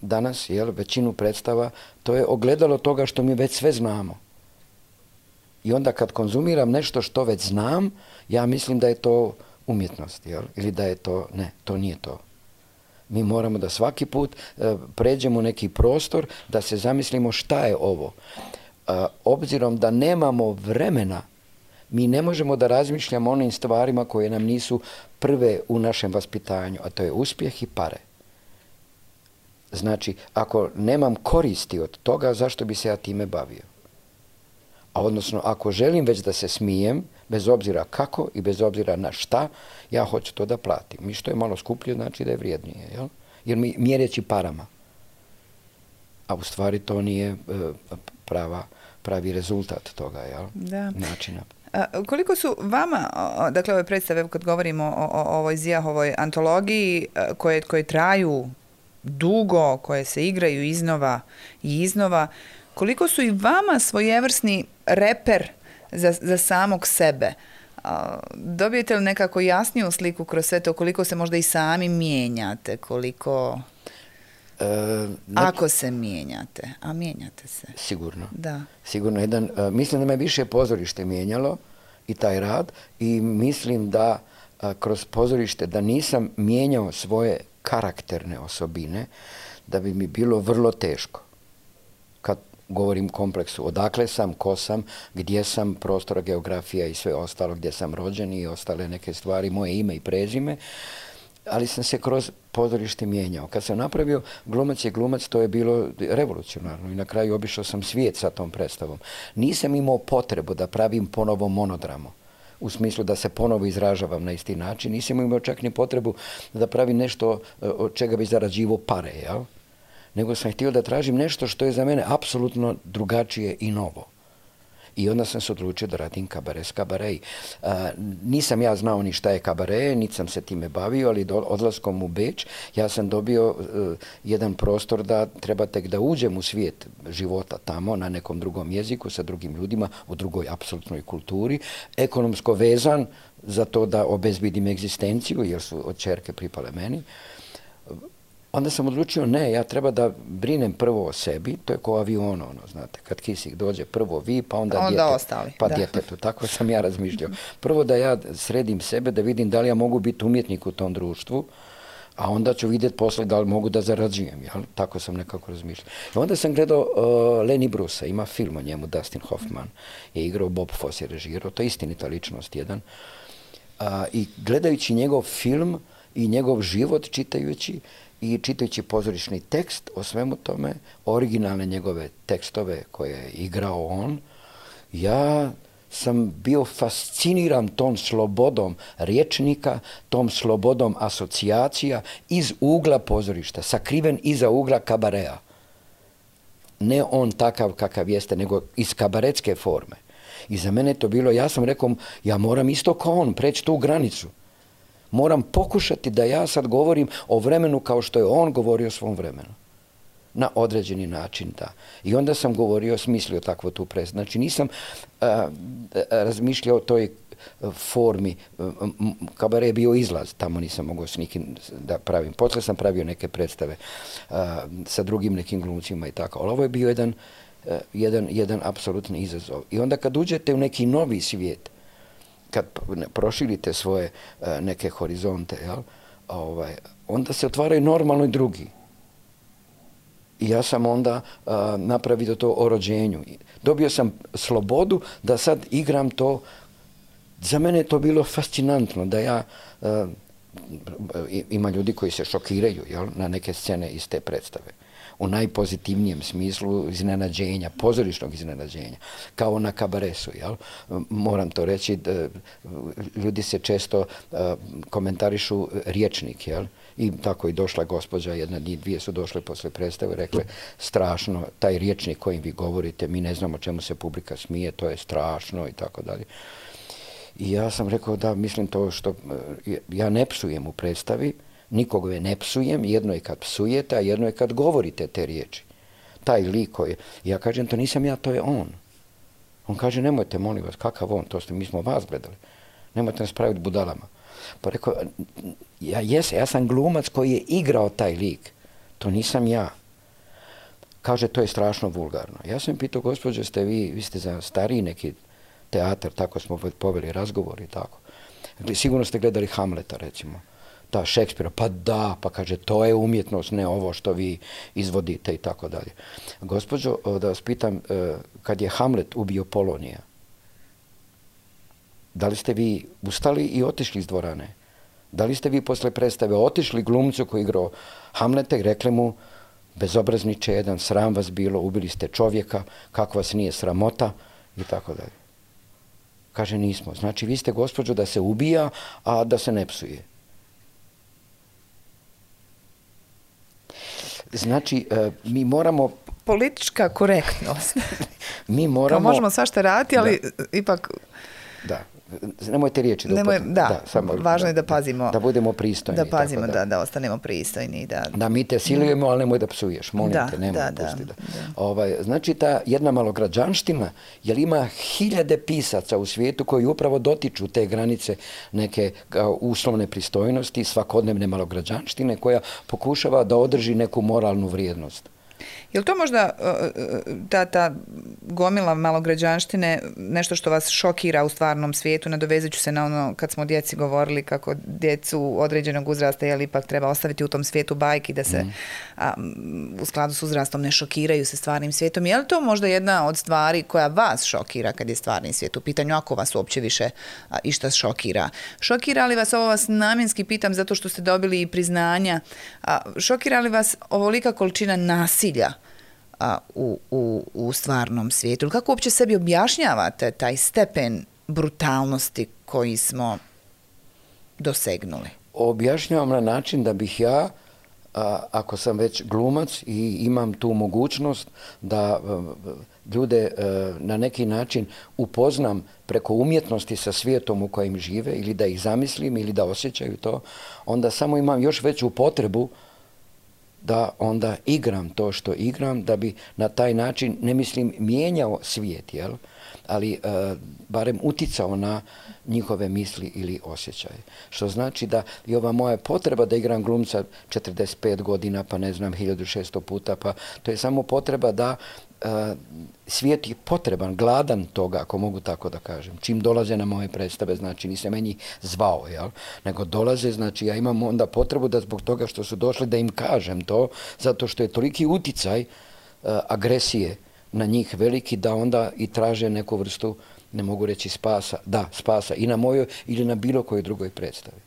danas, većinu predstava, to je ogledalo toga što mi već sve znamo. I onda kad konzumiram nešto što već znam, ja mislim da je to umjetnost, ili da je to, ne, to nije to. Mi moramo da svaki put pređemo neki prostor, da se zamislimo šta je ovo. Obzirom da nemamo vremena, mi ne možemo da razmišljamo o onim stvarima koje nam nisu prve u našem vaspitanju, a to je uspjeh i pare. Znači, ako nemam koristi od toga, zašto bi se ja time bavio? A odnosno, ako želim već da se smijem, bez obzira kako i bez obzira na šta, ja hoću to da platim. I što je malo skuplje, znači da je vrijednije. Jel? Jer mi mjereći parama. A u stvari to nije pravi rezultat toga, jel? Da. Načina. Koliko su vama, dakle ove predstave, kad govorimo o ovoj Zijahovoj antologiji, koje traju dugo, koje se igraju iznova i iznova, koliko su i vama svojevrsni reper za samog sebe? Dobijete li nekako jasniju sliku kroz sve to, koliko se možda i sami mijenjate, koliko... Ako se mijenjate, a mijenjate se. Sigurno. Da. Sigurno mislim da me više pozorište mijenjalo i taj rad i mislim da kroz pozorište da nisam mijenjao svoje karakterne osobine, da bi mi bilo vrlo teško. Kad govorim kompleksu, odakle sam, ko sam, gdje sam, prostora, geografija i sve ostalo, gdje sam rođen i ostale neke stvari, moje ime i prezime, ali sam se kroz pozorište mijenjao. Kad sam napravio Glumac je glumac, to je bilo revolucionarno i na kraju obišao sam svijet sa tom predstavom. Nisam imao potrebu da pravim ponovo monodramu, u smislu da se ponovo izražavam na isti način. Nisam imao čak ni potrebu da pravim nešto od čega bi zarađivao pare, jel? Nego sam htio da tražim nešto što je za mene apsolutno drugačije i novo. I onda sam se odlučio da radim kabare s kabareji. Nisam ja znao ni šta je kabare, niti sam se time bavio, ali odlaskom u Beč ja sam dobio jedan prostor da treba tek da uđem u svijet života tamo, na nekom drugom jeziku, sa drugim ljudima, u drugoj apsolutnoj kulturi, ekonomsko vezan za to da obezbidim egzistenciju, jer su od ćerke pripale meni. Onda sam odlučio, ne, ja treba da brinem prvo o sebi, to je ko avion, znate, kad kisik dođe, prvo vi, pa onda ostali, djetetu, tako sam ja razmišljao. Prvo da ja sredim sebe, da vidim da li ja mogu biti umjetnik u tom društvu, a onda ću vidjeti posle da li mogu da zarađujem, jel? Tako sam nekako razmišljao. I onda sam gledao Lenny Brucea, ima film o njemu, Dustin Hoffman je igrao, Bob Fosse je režirao, to je istinita ličnost jedan. I gledajući njegov film i njegov život čitajući, i čitajući pozorišni tekst o svemu tome, originalne njegove tekstove koje je igrao on, ja sam bio fasciniran tom slobodom rječnika, tom slobodom asocijacija iz ugla pozorišta, sakriven iza ugla kabarea. Ne on takav kakav jeste, nego iz kabaretske forme. I za mene to bilo, ja sam rekao, ja moram isto kao on preći tu granicu. Moram pokušati da ja sad govorim o vremenu kao što je on govorio o svom vremenu. Na određeni način, da. I onda sam govorio, smislio takvu tu predstavu. Znači nisam razmišljao o toj formi. Kabare je bio izlaz, tamo nisam mogao s nikim da pravim. Poslije sam pravio neke predstave sa drugim nekim glumcima i tako. Ali ovo je bio jedan apsolutni izazov. I onda kad uđete u neki novi svijet, kad proširite svoje neke horizonte, jel, onda se otvaraju normalno i drugi. I ja sam onda napravio to o rođenju. Dobio sam slobodu da sad igram to. Za mene je to bilo fascinantno da ja, ima ljudi koji se šokiraju, jel, na neke scene iz te predstave. U najpozitivnijem smislu iznenađenja, pozorišnog iznenađenja, kao na kabaresu, jel? Moram to reći, ljudi se često komentarišu rječnik, jel? I tako i došla gospođa, jedna, dvije su došle posle predstave, rekle, strašno, taj rječnik kojim vi govorite, mi ne znamo čemu se publika smije, to je strašno i tako dalje. I ja sam rekao da, mislim to što, ja ne psujem u predstavi, nikoga ne psujem, jedno je kad psujete, a jedno je kad govorite te riječi. Taj lik koji, ja kažem, to nisam ja, to je on. On kaže, nemojte, molim vas, kakav on, mi smo vas gledali. Nemojte nas praviti budalama. Pa rekao, ja sam glumac koji je igrao taj lik. To nisam ja. Kaže, to je strašno vulgarno. Ja sam pitao, gospođo, vi ste za stariji neki teatar, tako smo poveli razgovor i tako. Sigurno ste gledali Hamleta, recimo. Da, Šekspira, pa da, pa kaže, to je umjetnost, ne ovo što vi izvodite i tako dalje. Gospođo, da vas pitam, kad je Hamlet ubio Polonija, da li ste vi ustali i otišli iz dvorane? Da li ste vi posle predstave otišli glumcu koji igrao Hamleta i rekli mu, bezobrazniče jedan, sram vas bilo, ubili ste čovjeka, kako vas nije sramota i tako dalje. Kaže, nismo. Znači, vi ste, gospođo, da se ubija, a da se ne psuje. Znači, mi moramo... Politička korektnost. Mi moramo... Kao možemo svašta raditi, ali ipak... Da. nemojte riječi samo važno je da pazimo. Da budemo pristojni. Da pazimo, da ostanemo pristojni. Da mi te silujemo, ali nemoj da psuješ. Molim te, nemoj pustiti. Znači, ta jedna malograđanština, jer ima hiljade pisaca u svijetu koji upravo dotiču te granice neke uslovne pristojnosti, svakodnevne malograđanštine koja pokušava da održi neku moralnu vrijednost. Je li to možda ta gomila malograđanštine nešto što vas šokira u stvarnom svijetu? Nadovezat ću se na ono kad smo o djeci govorili kako djecu određenog uzrasta ipak treba ostaviti u tom svijetu bajki da se u skladu s uzrastom ne šokiraju se stvarnim svijetom. Je li to možda jedna od stvari koja vas šokira kad je stvarni svijet u pitanju, ako vas uopće više išta šokira? Šokira li vas, ovo vas namjenski pitam zato što ste dobili i priznanja, šokira li vas ovolika količina nasilja u stvarnom svijetu? Ili kako uopće sebi objašnjavate taj stepen brutalnosti koji smo dosegnuli? Objašnjavam na način da bih ja, ako sam već glumac i imam tu mogućnost da ljude na neki način upoznam preko umjetnosti sa svijetom u kojem žive ili da ih zamislim ili da osjećaju to, onda samo imam još veću potrebu da onda igram to što igram, da bi na taj način, ne mislim, mijenjao svijet, jel? Ali barem uticao na njihove misli ili osjećaje. Što znači da i ova moja potreba da igram glumca 45 godina, pa ne znam, 1600 puta, pa to je samo potreba da svijet je potreban, gladan toga, ako mogu tako da kažem. Čim dolaze na moje predstave, znači nisam meni zvao, jel? Nego dolaze, znači ja imam onda potrebu da zbog toga što su došli da im kažem to, zato što je toliki uticaj agresije na njih veliki da onda i traže neku vrstu, ne mogu reći spasa, spasa i na mojoj ili na bilo kojoj drugoj predstavi.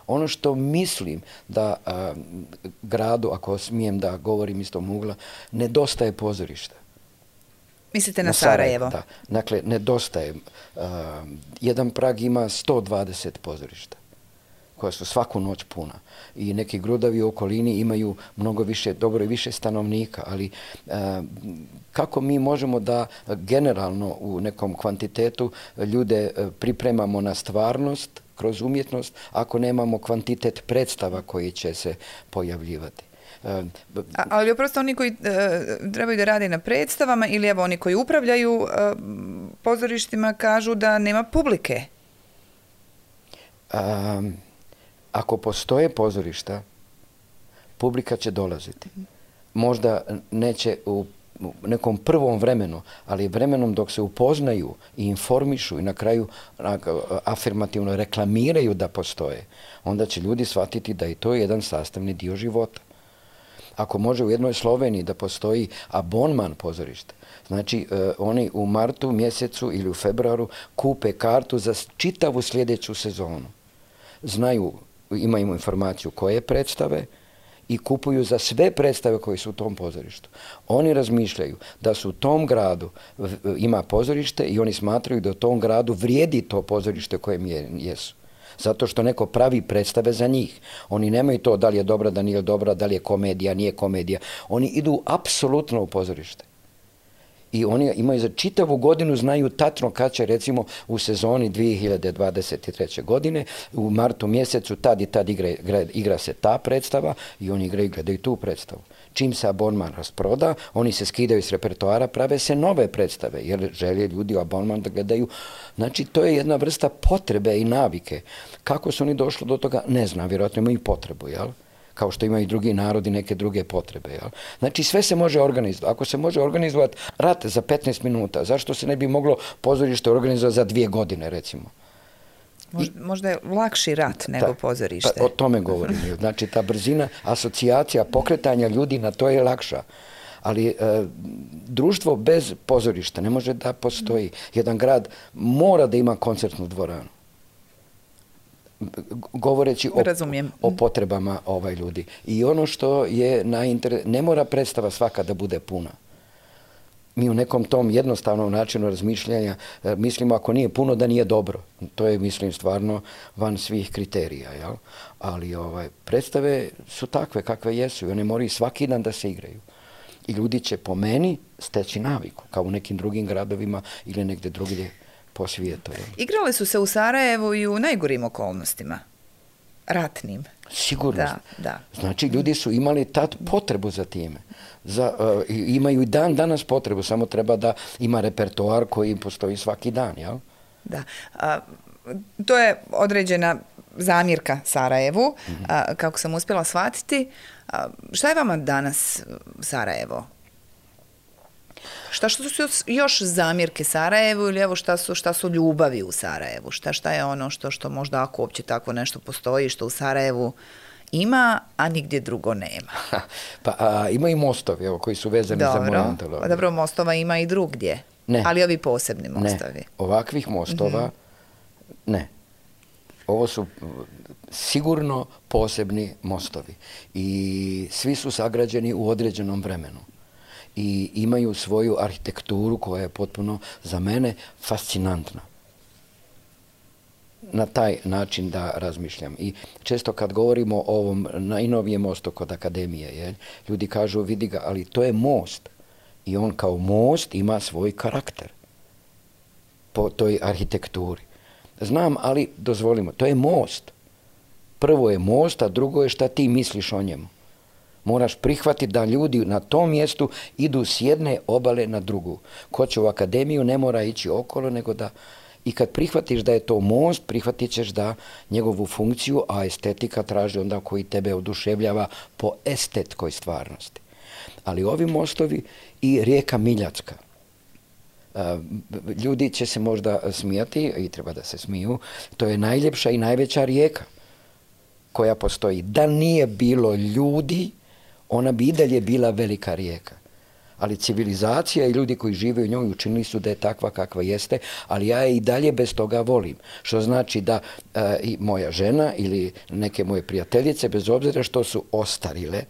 Ono što mislim da gradu, ako smijem da govorim iz tog ugla, nedostaje pozorišta. Mislite na Sarajevo? Da. Dakle, nedostaje. Jedan Prag ima 120 pozorišta koja su svaku noć puna. I neki gradovi u okolini imaju mnogo više, dobro i više stanovnika, ali kako mi možemo da generalno u nekom kvantitetu ljude pripremamo na stvarnost kroz umjetnost ako nemamo kvantitet predstava koji će se pojavljivati? Ali oprosto oni koji trebaju da rade na predstavama ili evo oni koji upravljaju pozorištima kažu da nema publike. Ako postoje pozorišta, publika će dolaziti. Možda neće u nekom prvom vremenu, ali vremenom dok se upoznaju i informišu i na kraju afirmativno reklamiraju da postoje, onda će ljudi shvatiti da je to jedan sastavni dio života. Ako može u jednoj Sloveniji da postoji abonman pozorište, znači oni u martu mjesecu ili u februaru kupe kartu za čitavu sljedeću sezonu. Znaju, imaju informaciju koje predstave i kupuju za sve predstave koje su u tom pozorištu. Oni razmišljaju da su u tom gradu ima pozorište i oni smatraju da u tom gradu vrijedi to pozorište kojem jesu. Zato što neko pravi predstave za njih. Oni nemaju to da li je dobra, da nije dobra, da li je komedija, nije komedija. Oni idu apsolutno u pozorište. I oni imaju za čitavu godinu, znaju tačno kad će, recimo, u sezoni 2023. godine, u martu mjesecu, tad i tad igra se ta predstava i oni igraju i gledaju tu predstavu. Čim se abonman rasproda, oni se skidaju s repertoara, prave se nove predstave, jer žele ljudi u abonman da gledaju. Znači, to je jedna vrsta potrebe i navike. Kako su oni došli do toga, ne znam, vjerojatno imaju potrebu, jel? Kao što imaju i drugi narodi neke druge potrebe. Jel? Znači sve se može organizovati. Ako se može organizovati rat za 15 minuta, zašto se ne bi moglo pozorište organizovati za 2 godine, recimo? Možda je lakši rat nego pozorište. Pa, o tome govorim. Znači ta brzina, asocijacija, pokretanja ljudi na to je lakša. Ali društvo bez pozorišta ne može da postoji. Jedan grad mora da ima koncertnu dvoranu. Govoreći o potrebama ljudi. I ono što je ne mora predstava svaka da bude puna. Mi u nekom tom jednostavnom načinu razmišljanja mislimo ako nije puno da nije dobro. To je, mislim, stvarno van svih kriterija. Jel? Ali predstave su takve kakve jesu i one moraju svaki dan da se igraju. I ljudi će po meni steći naviku, kao u nekim drugim gradovima ili negdje drugdje po svijetu. Igrale su se u Sarajevu i u najgorim okolnostima, ratnim. Sigurno. Da. Znači, ljudi su imali tad potrebu za time. Imaju i danas potrebu, samo treba da ima repertoar koji postoji svaki dan, jel? Da. To je određena zamjerka Sarajevu, kako sam uspjela shvatiti. Šta je vama danas Sarajevo? Šta su još zamjerke Sarajevu ili evo šta su ljubavi u Sarajevu? Šta je ono što možda ako uopće tako nešto postoji, što u Sarajevu ima, a nigdje drugo nema? Ima i mostovi koji su vezani za moju antologiju. Dobro, mostova ima i drugdje. Ne. Ali ovi posebni mostovi. Ne, ovakvih mostova ne. Ovo su sigurno posebni mostovi i svi su sagrađeni u određenom vremenu i imaju svoju arhitekturu koja je potpuno za mene fascinantna. Na taj način da razmišljam. I često kad govorimo o ovom najnovijem mostu kod Akademije, ljudi kažu vidi ga, ali to je most i on kao most ima svoj karakter po toj arhitekturi. Znam, ali dozvolimo, to je most. Prvo je most, a drugo je šta ti misliš o njemu. Moraš prihvatiti da ljudi na tom mjestu idu s jedne obale na drugu. Ko će u Akademiju ne mora ići okolo, nego da... I kad prihvatiš da je to most, prihvatit ćeš da njegovu funkciju, a estetika traži onda koji tebe oduševljava po estetskoj stvarnosti. Ali ovi mostovi i rijeka Miljacka. Ljudi će se možda smijati, i treba da se smiju, to je najljepša i najveća rijeka koja postoji. Da nije bilo ljudi, ona bi i dalje bila velika rijeka. Ali civilizacija i ljudi koji žive u njoj učinili su da je takva kakva jeste, ali ja je i dalje bez toga volim. Što znači da i moja žena ili neke moje prijateljice, bez obzira što su ostarile,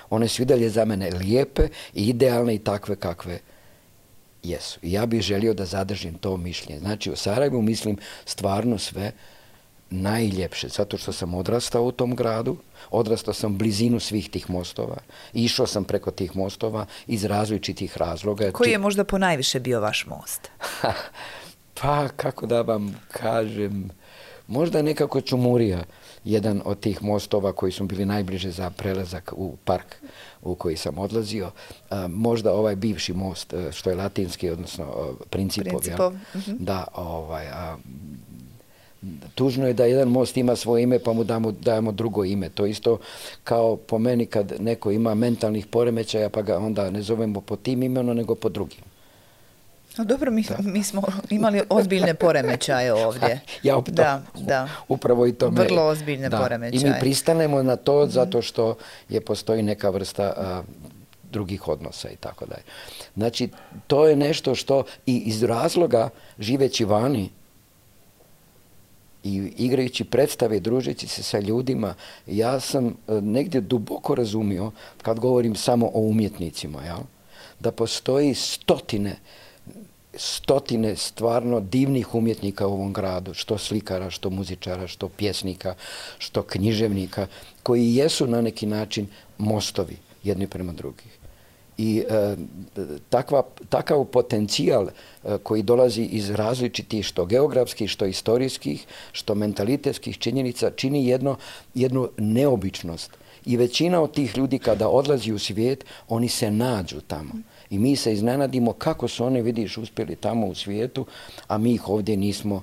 one su i dalje za mene lijepe i idealne i takve kakve jesu. I ja bih želio da zadržim to mišljenje. Znači, u Sarajevu mislim stvarno sve najljepše, zato što sam odrastao u tom gradu, odrastao sam blizinu svih tih mostova, išao sam preko tih mostova iz različitih razloga. Koji je možda ponajviše bio vaš most? Pa, kako da vam kažem, možda nekako Čumurija, jedan od tih mostova koji su bili najbliže za prelazak u park u koji sam odlazio. Možda ovaj bivši most, što je latinski, odnosno Principov. Da, tužno je da jedan most ima svoje ime pa mu dajemo drugo ime. To isto kao po meni kad neko ima mentalnih poremećaja pa ga onda ne zovemo po tim imenom nego po drugim. No dobro, mi smo imali ozbiljne poremećaje ovdje. Upravo i to. Vrlo ozbiljne poremećaje. I mi pristanemo na to zato što postoji neka vrsta drugih odnosa i tako dalje. Znači, to je nešto što i iz razloga živeći vani i igrajući predstave i družeći se sa ljudima, ja sam negdje duboko razumio, kad govorim samo o umjetnicima, da postoji stotine stvarno divnih umjetnika u ovom gradu, što slikara, što muzičara, što pjesnika, što književnika, koji jesu na neki način mostovi jedni prema drugih. I takav potencijal koji dolazi iz različitih što geografskih, što istorijskih, što mentalitetskih činjenica čini jednu neobičnost. I većina od tih ljudi kada odlazi u svijet, oni se nađu tamo. I mi se iznenadimo kako su oni, vidiš, uspjeli tamo u svijetu, a mi ih ovdje nismo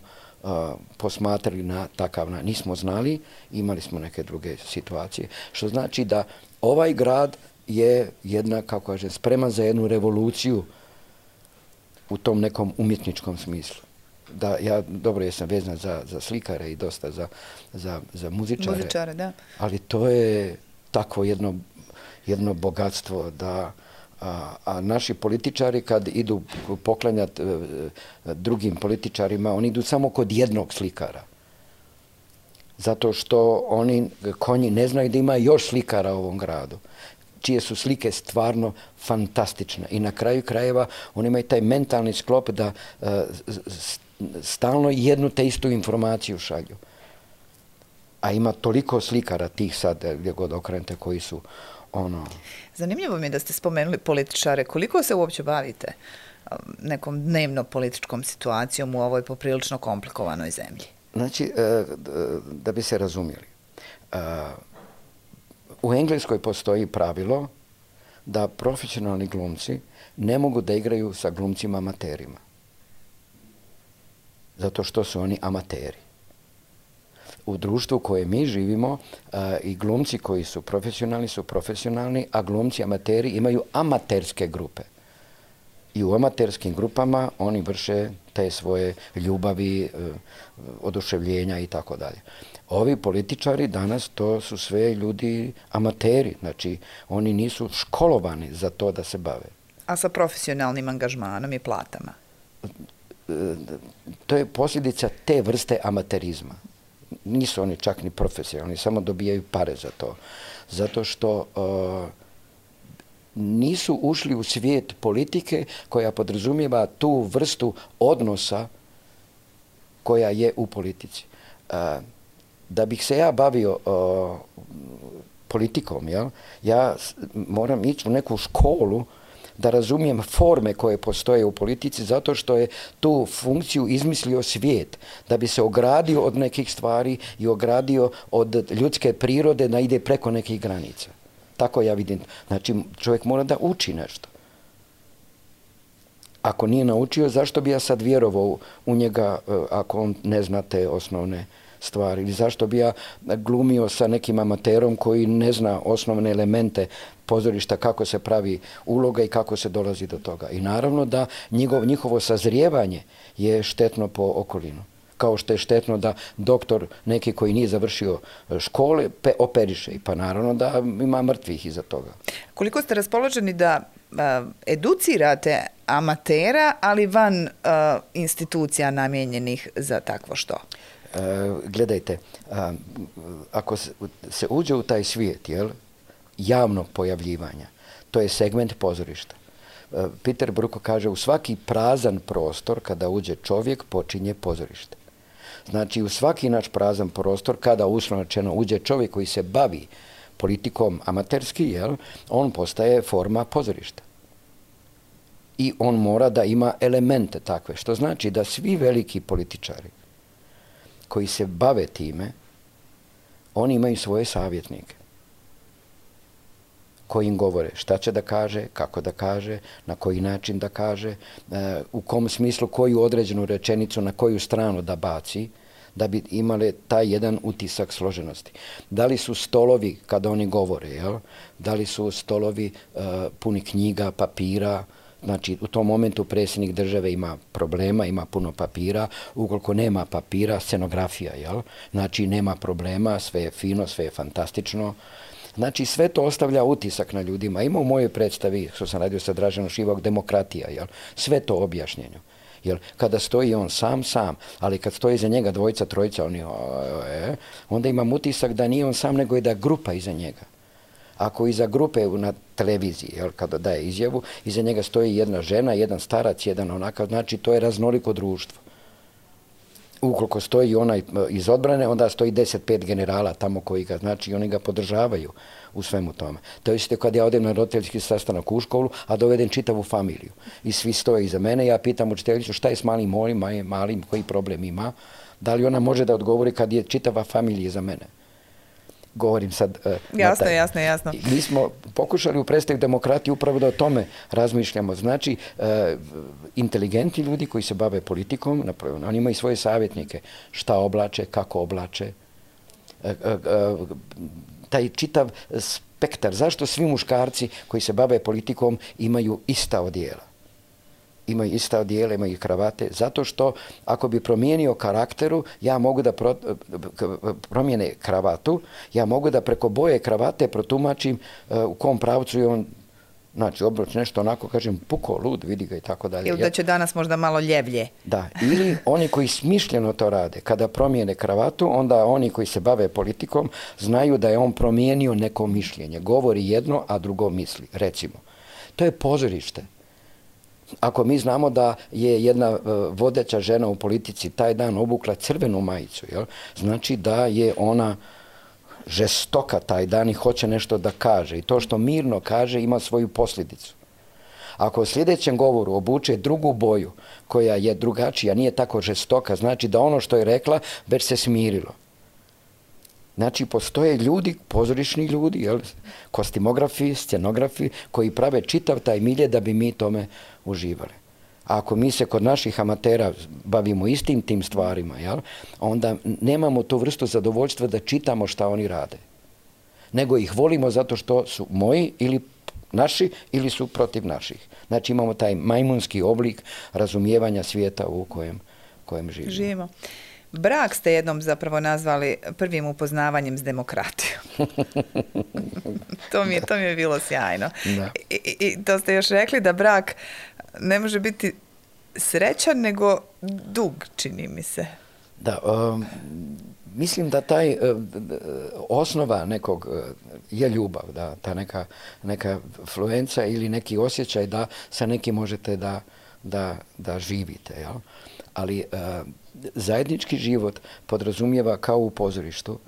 posmatrali na takav način. Nismo znali, imali smo neke druge situacije. Što znači da ovaj grad je jedna, kako kažem, spreman za jednu revoluciju u tom nekom umjetničkom smislu. Da, jesam vezan za slikare i dosta za muzičare. Muzičare, da. Ali to je tako jedno bogatstvo da a naši političari kad idu poklanjati drugim političarima, oni idu samo kod jednog slikara. Zato što konji ne znaju da ima još slikara u ovom gradu, čije su slike stvarno fantastične. I na kraju krajeva oni imaju taj mentalni sklop da stalno jednu te istu informaciju šalju. A ima toliko slikara tih sad, gdje god okrenete, koji su Zanimljivo mi je da ste spomenuli političare. Koliko se uopće bavite nekom dnevno-političkom situacijom u ovoj poprilično komplikovanoj zemlji? Znači, da bi se razumjeli, u Engleskoj postoji pravilo da profesionalni glumci ne mogu da igraju sa glumcima amaterima. Zato što su oni amateri. U društvu u kojem mi živimo i glumci koji su profesionalni, a glumci amateri imaju amaterske grupe. I u amaterskim grupama oni vrše te svoje ljubavi, oduševljenja i tako dalje. Ovi političari danas to su sve ljudi amateri, znači oni nisu školovani za to da se bave. A sa profesionalnim angažmanom i platama? To je posljedica te vrste amaterizma. Nisu oni čak ni profesionalni, samo dobijaju pare za to. Zato što nisu ušli u svijet politike koja podrazumijeva tu vrstu odnosa koja je u politici. Da bih se ja bavio politikom, ja moram ići u neku školu da razumijem forme koje postoje u politici zato što je tu funkciju izmislio svijet, da bi se ogradio od nekih stvari i ogradio od ljudske prirode da ide preko nekih granica. Tako ja vidim. Znači, čovjek mora da uči nešto. Ako nije naučio, zašto bi ja sad vjerovao u njega ako on ne zna te osnovne stvari? Ili zašto bi ja glumio sa nekim amaterom koji ne zna osnovne elemente pozorišta, kako se pravi uloga i kako se dolazi do toga? I naravno da njihovo sazrijevanje je štetno po okolinu. Kao što je štetno da doktor neki koji nije završio škole operiše. Pa naravno da ima mrtvih iza toga. Koliko ste raspoloženi da educirate amatera, ali van institucija namijenjenih za takvo što? Gledajte, ako se uđe u taj svijet javnog pojavljivanja, to je segment pozorišta. Peter Brook kaže, u svaki prazan prostor kada uđe čovjek počinje pozorište. Znači, u svaki naš prazan prostor kada uslovno rečeno uđe čovjek koji se bavi politikom amaterski, on postaje forma pozorišta. I on mora da ima elemente takve, što znači da svi veliki političari koji se bave time, oni imaju svoje savjetnike koji im govore šta će da kaže, kako da kaže, na koji način da kaže, u kom smislu koju određenu rečenicu na koju stranu da baci, da bi imali taj jedan utisak složenosti. Da li su stolovi, kada oni govore, da li su stolovi puni knjiga, papira, znači u tom momentu predsjednik države ima problema, ima puno papira, ukoliko nema papira, scenografija, znači nema problema, sve je fino, sve je fantastično. Znači, sve to ostavlja utisak na ljudima. Ima u mojoj predstavi, što sam radio sa Draženom Šivak, demokratija, sve to objašnjenje. Kada stoji on sam, ali kad stoji iza njega dvojica, trojica, onda imam utisak da nije on sam, nego je da grupa iza njega. Ako iza grupe na televiziji, kada daje izjavu, iza njega stoji jedna žena, jedan starac, jedan onakav, znači to je raznoliko društvo. Ukoliko stoji onaj iz odbrane, onda stoji 10-5 generala tamo koji ga, znači oni ga podržavaju u svemu tome. To je kad ja odem na roditeljski sastanak u školu, a dovedem čitavu familiju. I svi stoje iza mene, ja pitam učiteljicu šta je s malim, koji problem ima, da li ona može da odgovori kad je čitava familija iza mene. Govorim sad... Jasno. Mi smo pokušali u predstavi demokratije upravo da o tome razmišljamo. Znači, inteligentni ljudi koji se bave politikom, oni imaju svoje savjetnike. Šta oblače, kako oblače. Taj čitav spektar. Zašto svi muškarci koji se bave politikom imaju ista odijela? Imaju ista odijela, imaju kravate, zato što ako bi promijenio karakteru, ja mogu da promijene kravatu, ja mogu da preko boje kravate protumačim u kom pravcu je on, znači obruč nešto onako, kažem, puko, lud, vidi ga i tako dalje. Ili da će danas možda malo ljevlje. Da, ili oni koji smišljeno to rade, kada promijene kravatu, onda oni koji se bave politikom znaju da je on promijenio neko mišljenje. Govori jedno, a drugo misli, recimo. To je pozorište. Ako mi znamo da je jedna vodeća žena u politici taj dan obukla crvenu majicu, znači da je ona žestoka taj dan i hoće nešto da kaže. I to što mirno kaže ima svoju posljedicu. Ako u sljedećem govoru obuče drugu boju koja je drugačija, nije tako žestoka, znači da ono što je rekla već se smirilo. Znači, postoje ljudi, pozorišni ljudi, jel, kostimografi, scenografi, koji prave čitav taj milje da bi mi tome uživali. A ako mi se kod naših amatera bavimo istim tim stvarima, jel, onda nemamo tu vrstu zadovoljstva da čitamo šta oni rade. Nego ih volimo zato što su moji ili naši ili su protiv naših. Znači, imamo taj majmunski oblik razumijevanja svijeta u kojem živimo. Brak ste jednom zapravo nazvali prvim upoznavanjem s demokratijom. To mi je bilo sjajno. I to ste još rekli da brak ne može biti srećan, nego dug, čini mi se. Da, mislim da taj osnova nekog je ljubav, da, ta neka fluenca ili neki osjećaj da sa nekim možete da živite, jel? Ali zajednički život podrazumijeva kao u pozorištu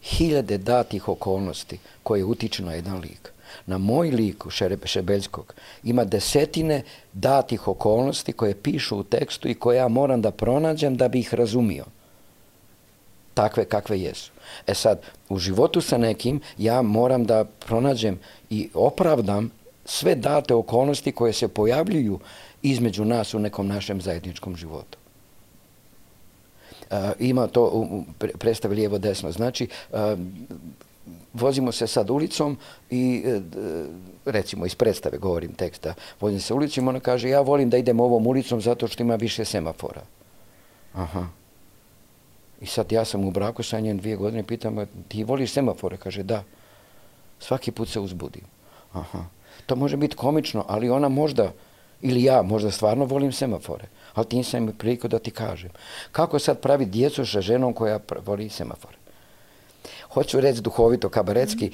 hiljade datih okolnosti koje utiču na jedan lik. Na moj liku Šebeljskog ima desetine datih okolnosti koje pišu u tekstu i koje ja moram da pronađem da bi ih razumio. Takve kakve jesu. E sad, u životu sa nekim ja moram da pronađem i opravdam sve date okolnosti koje se pojavljuju između nas u nekom našem zajedničkom životu. Ima to u predstavi lijevo-desno. Znači, vozimo se sad ulicom i, recimo, iz predstave govorim teksta, vozim se ulicom, ona kaže, ja volim da idem ovom ulicom zato što ima više semafora. Aha. I sad ja sam u braku sa njem 2 godine, pitam, ti voliš semafore? Kaže, da. Svaki put se uzbudim. Aha. To može biti komično, ali ona možda, ili ja možda stvarno volim semafore, ali ti nisam imao priliku da ti kažem. Kako sad pravi djecu sa ženom koja voli semafore? Hoću reći duhovito, kabaretski,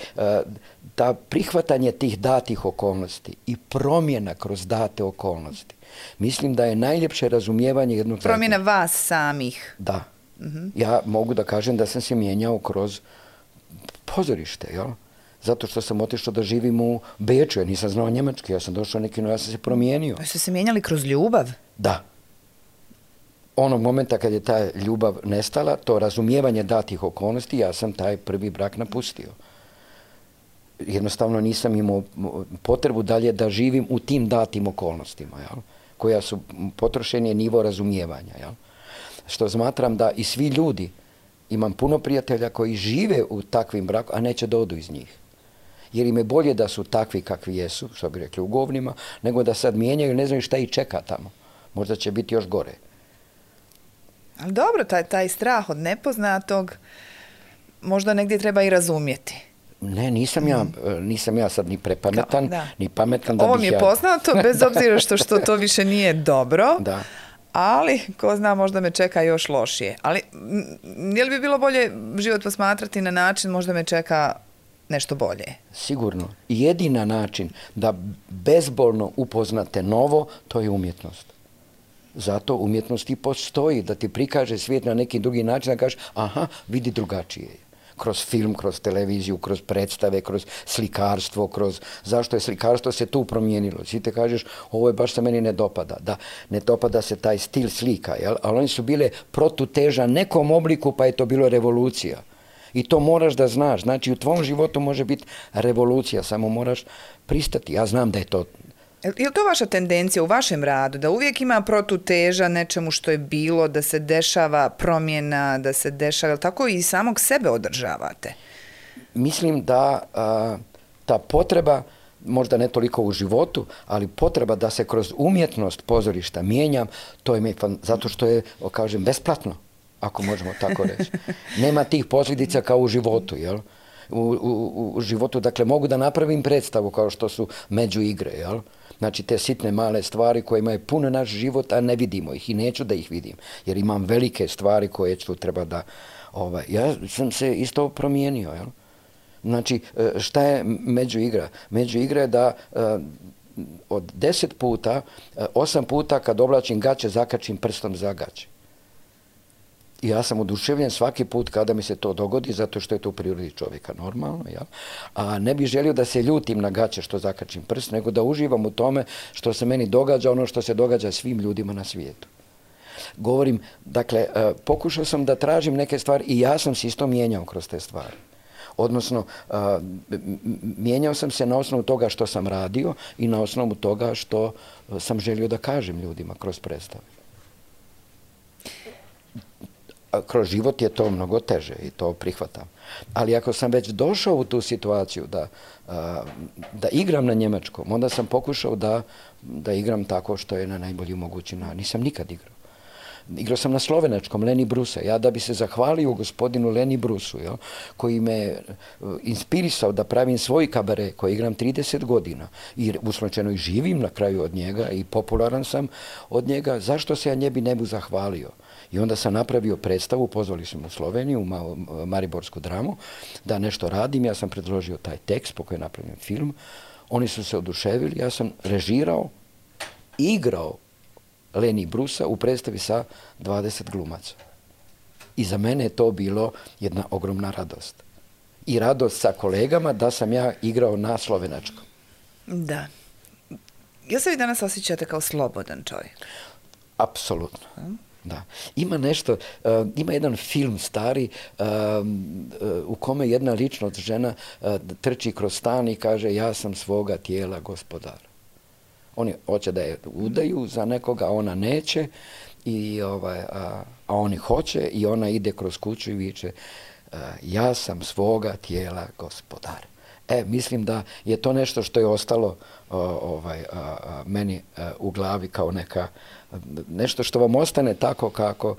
da prihvatanje tih datih okolnosti i promjena kroz date okolnosti, mislim da je najljepše razumijevanje jednog zajedničkog. Promjena vas samih. Da. Ja mogu da kažem da sam se mijenjao kroz pozorište, jel? Zato što sam otišao da živim u Beču, ja nisam znao njemački, ja sam došao ja sam se promijenio. Pa ste se mijenjali kroz ljubav? Da. Onog momenta kad je ta ljubav nestala, to razumijevanje datih okolnosti, ja sam taj prvi brak napustio. Jednostavno nisam imao potrebu dalje da živim u tim datim okolnostima, jel? Koja su potrošen je nivo razumijevanja, jel? Što smatram da i svi ljudi, imam puno prijatelja koji žive u takvim brakom, a neće da odu iz njih. Jer im je bolje da su takvi kakvi jesu, što bi rekli u govnima, nego da sad mijenjaju, ne znaju šta ih čeka tamo. Možda će biti još gore. Ali dobro, taj strah od nepoznatog možda negdje treba i razumjeti. Ne, nisam ja sad ni prepametan, ni pametan da Ovo bih mi je poznato, bez obzira što to više nije dobro. Da. Ali, ko zna, možda me čeka još lošije. Ali, je li bi bilo bolje život posmatrati na način, možda me čeka nešto bolje? Sigurno. Jedina način da bezbolno upoznate novo, to je umjetnost. Zato umjetnost i postoji, da ti prikaže svijet na neki drugi način, da kažeš, aha, vidi drugačije. Kroz film, kroz televiziju, kroz predstave, kroz slikarstvo, zašto je slikarstvo se tu promijenilo. Svi te kažeš, ovo je baš se meni ne dopada. Da, ne dopada se taj stil slika, jel? Ali oni su bile protuteža nekom obliku, pa je to bilo revolucija. I to moraš da znaš. Znači, u tvom životu može biti revolucija, samo moraš pristati. Ja znam da je to. Je li to vaša tendencija u vašem radu, da uvijek ima protuteža nečemu što je bilo, da se dešava promjena, da se dešava, tako i samog sebe održavate? Mislim da ta potreba, možda ne toliko u životu, ali potreba da se kroz umjetnost pozorišta mijenjam, to je zato što je, kažem, besplatno, ako možemo tako reći. Nema tih posljedica kao u životu, jel? U životu, dakle, mogu da napravim predstavu kao što su međuigre, jel? Znači, te sitne male stvari koje imaju puno naš život, a ne vidimo ih i neću da ih vidim, jer imam velike stvari koje ću treba da. Ja sam se isto promijenio, jel? Znači, šta je međuigra? Međuigra je da od 10 puta, 8 puta kad oblačim gaće, zakačim prstom za gaće. I ja sam oduševljen svaki put kada mi se to dogodi, zato što je to u prirodi čovjeka normalno, jel? A ne bih želio da se ljutim na gaće što zakačim prst, nego da uživam u tome što se meni događa, ono što se događa svim ljudima na svijetu. Govorim, dakle, pokušao sam da tražim neke stvari i ja sam se isto mijenjao kroz te stvari. Odnosno, mijenjao sam se na osnovu toga što sam radio i na osnovu toga što sam želio da kažem ljudima kroz predstave. Kroz život je to mnogo teže i to prihvatam. Ali ako sam već došao u tu situaciju da igram na njemačkom, onda sam pokušao da igram tako što je na najbolji mogući način. Nisam nikad igrao. Igrao sam na slovenačkom, Leni Brusa. Ja da bi se zahvalio gospodinu Leni Brusu, koji me inspirisao da pravim svoj kabare, koji igram 30 godina i uslučajno i živim na kraju od njega i popularan sam od njega, zašto se ja njebi ne bi zahvalio? I onda sam napravio predstavu, pozvali smo u Sloveniju, u Mariborsku dramu, da nešto radim. Ja sam predložio taj tekst po kojem je napravljen film. Oni su se oduševili, ja sam režirao, igrao Leni Brusa u predstavi sa 20 glumaca. I za mene je to bilo jedna ogromna radost. I radost sa kolegama da sam ja igrao na slovenačkom. Da. Jel se vi danas osjećate kao slobodan čovjek? Apsolutno. Da. Ima nešto, ima jedan film stari u kome jedna ličnost žena trči kroz stan i kaže ja sam svoga tijela gospodar. Oni hoće da je udaju za nekoga, a ona neće, a oni hoće i ona ide kroz kuću i viče ja sam svoga tijela gospodar. Mislim da je to nešto što je ostalo meni u glavi kao nešto što vam ostane tako kako...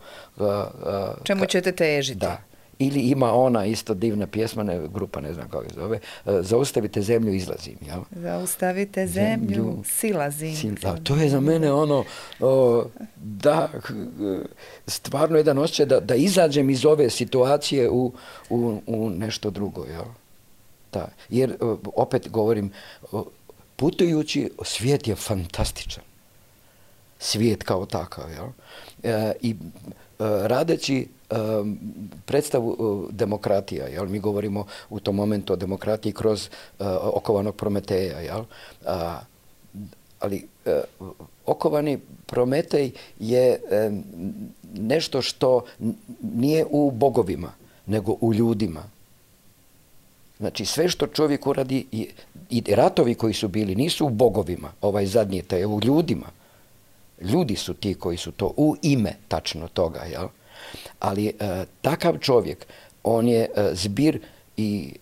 Čemu ćete težiti? Da. Ili ima ona isto divna pjesma, grupa, ne znam kako se zove, Zaustavite zemlju, izlazim. Jel? Zaustavite zemlju, silazim. To je za mene stvarno jedan osjećaj da izađem iz ove situacije u nešto drugo. Jel? Da. Jer, opet govorim, putujući, svijet je fantastičan. Svijet kao takav. Jel? I radeći predstavu demokratija, jel? Mi govorimo u tom momentu o demokratiji kroz okovanog Prometeja, jel? Ali okovani Prometej je nešto što nije u bogovima, nego u ljudima. Znači, sve što čovjek uradi i ratovi koji su bili nisu u bogovima, ovaj zadnji je u ljudima. Ljudi su ti koji su to u ime tačno toga, jel? Ali takav čovjek, on je zbir i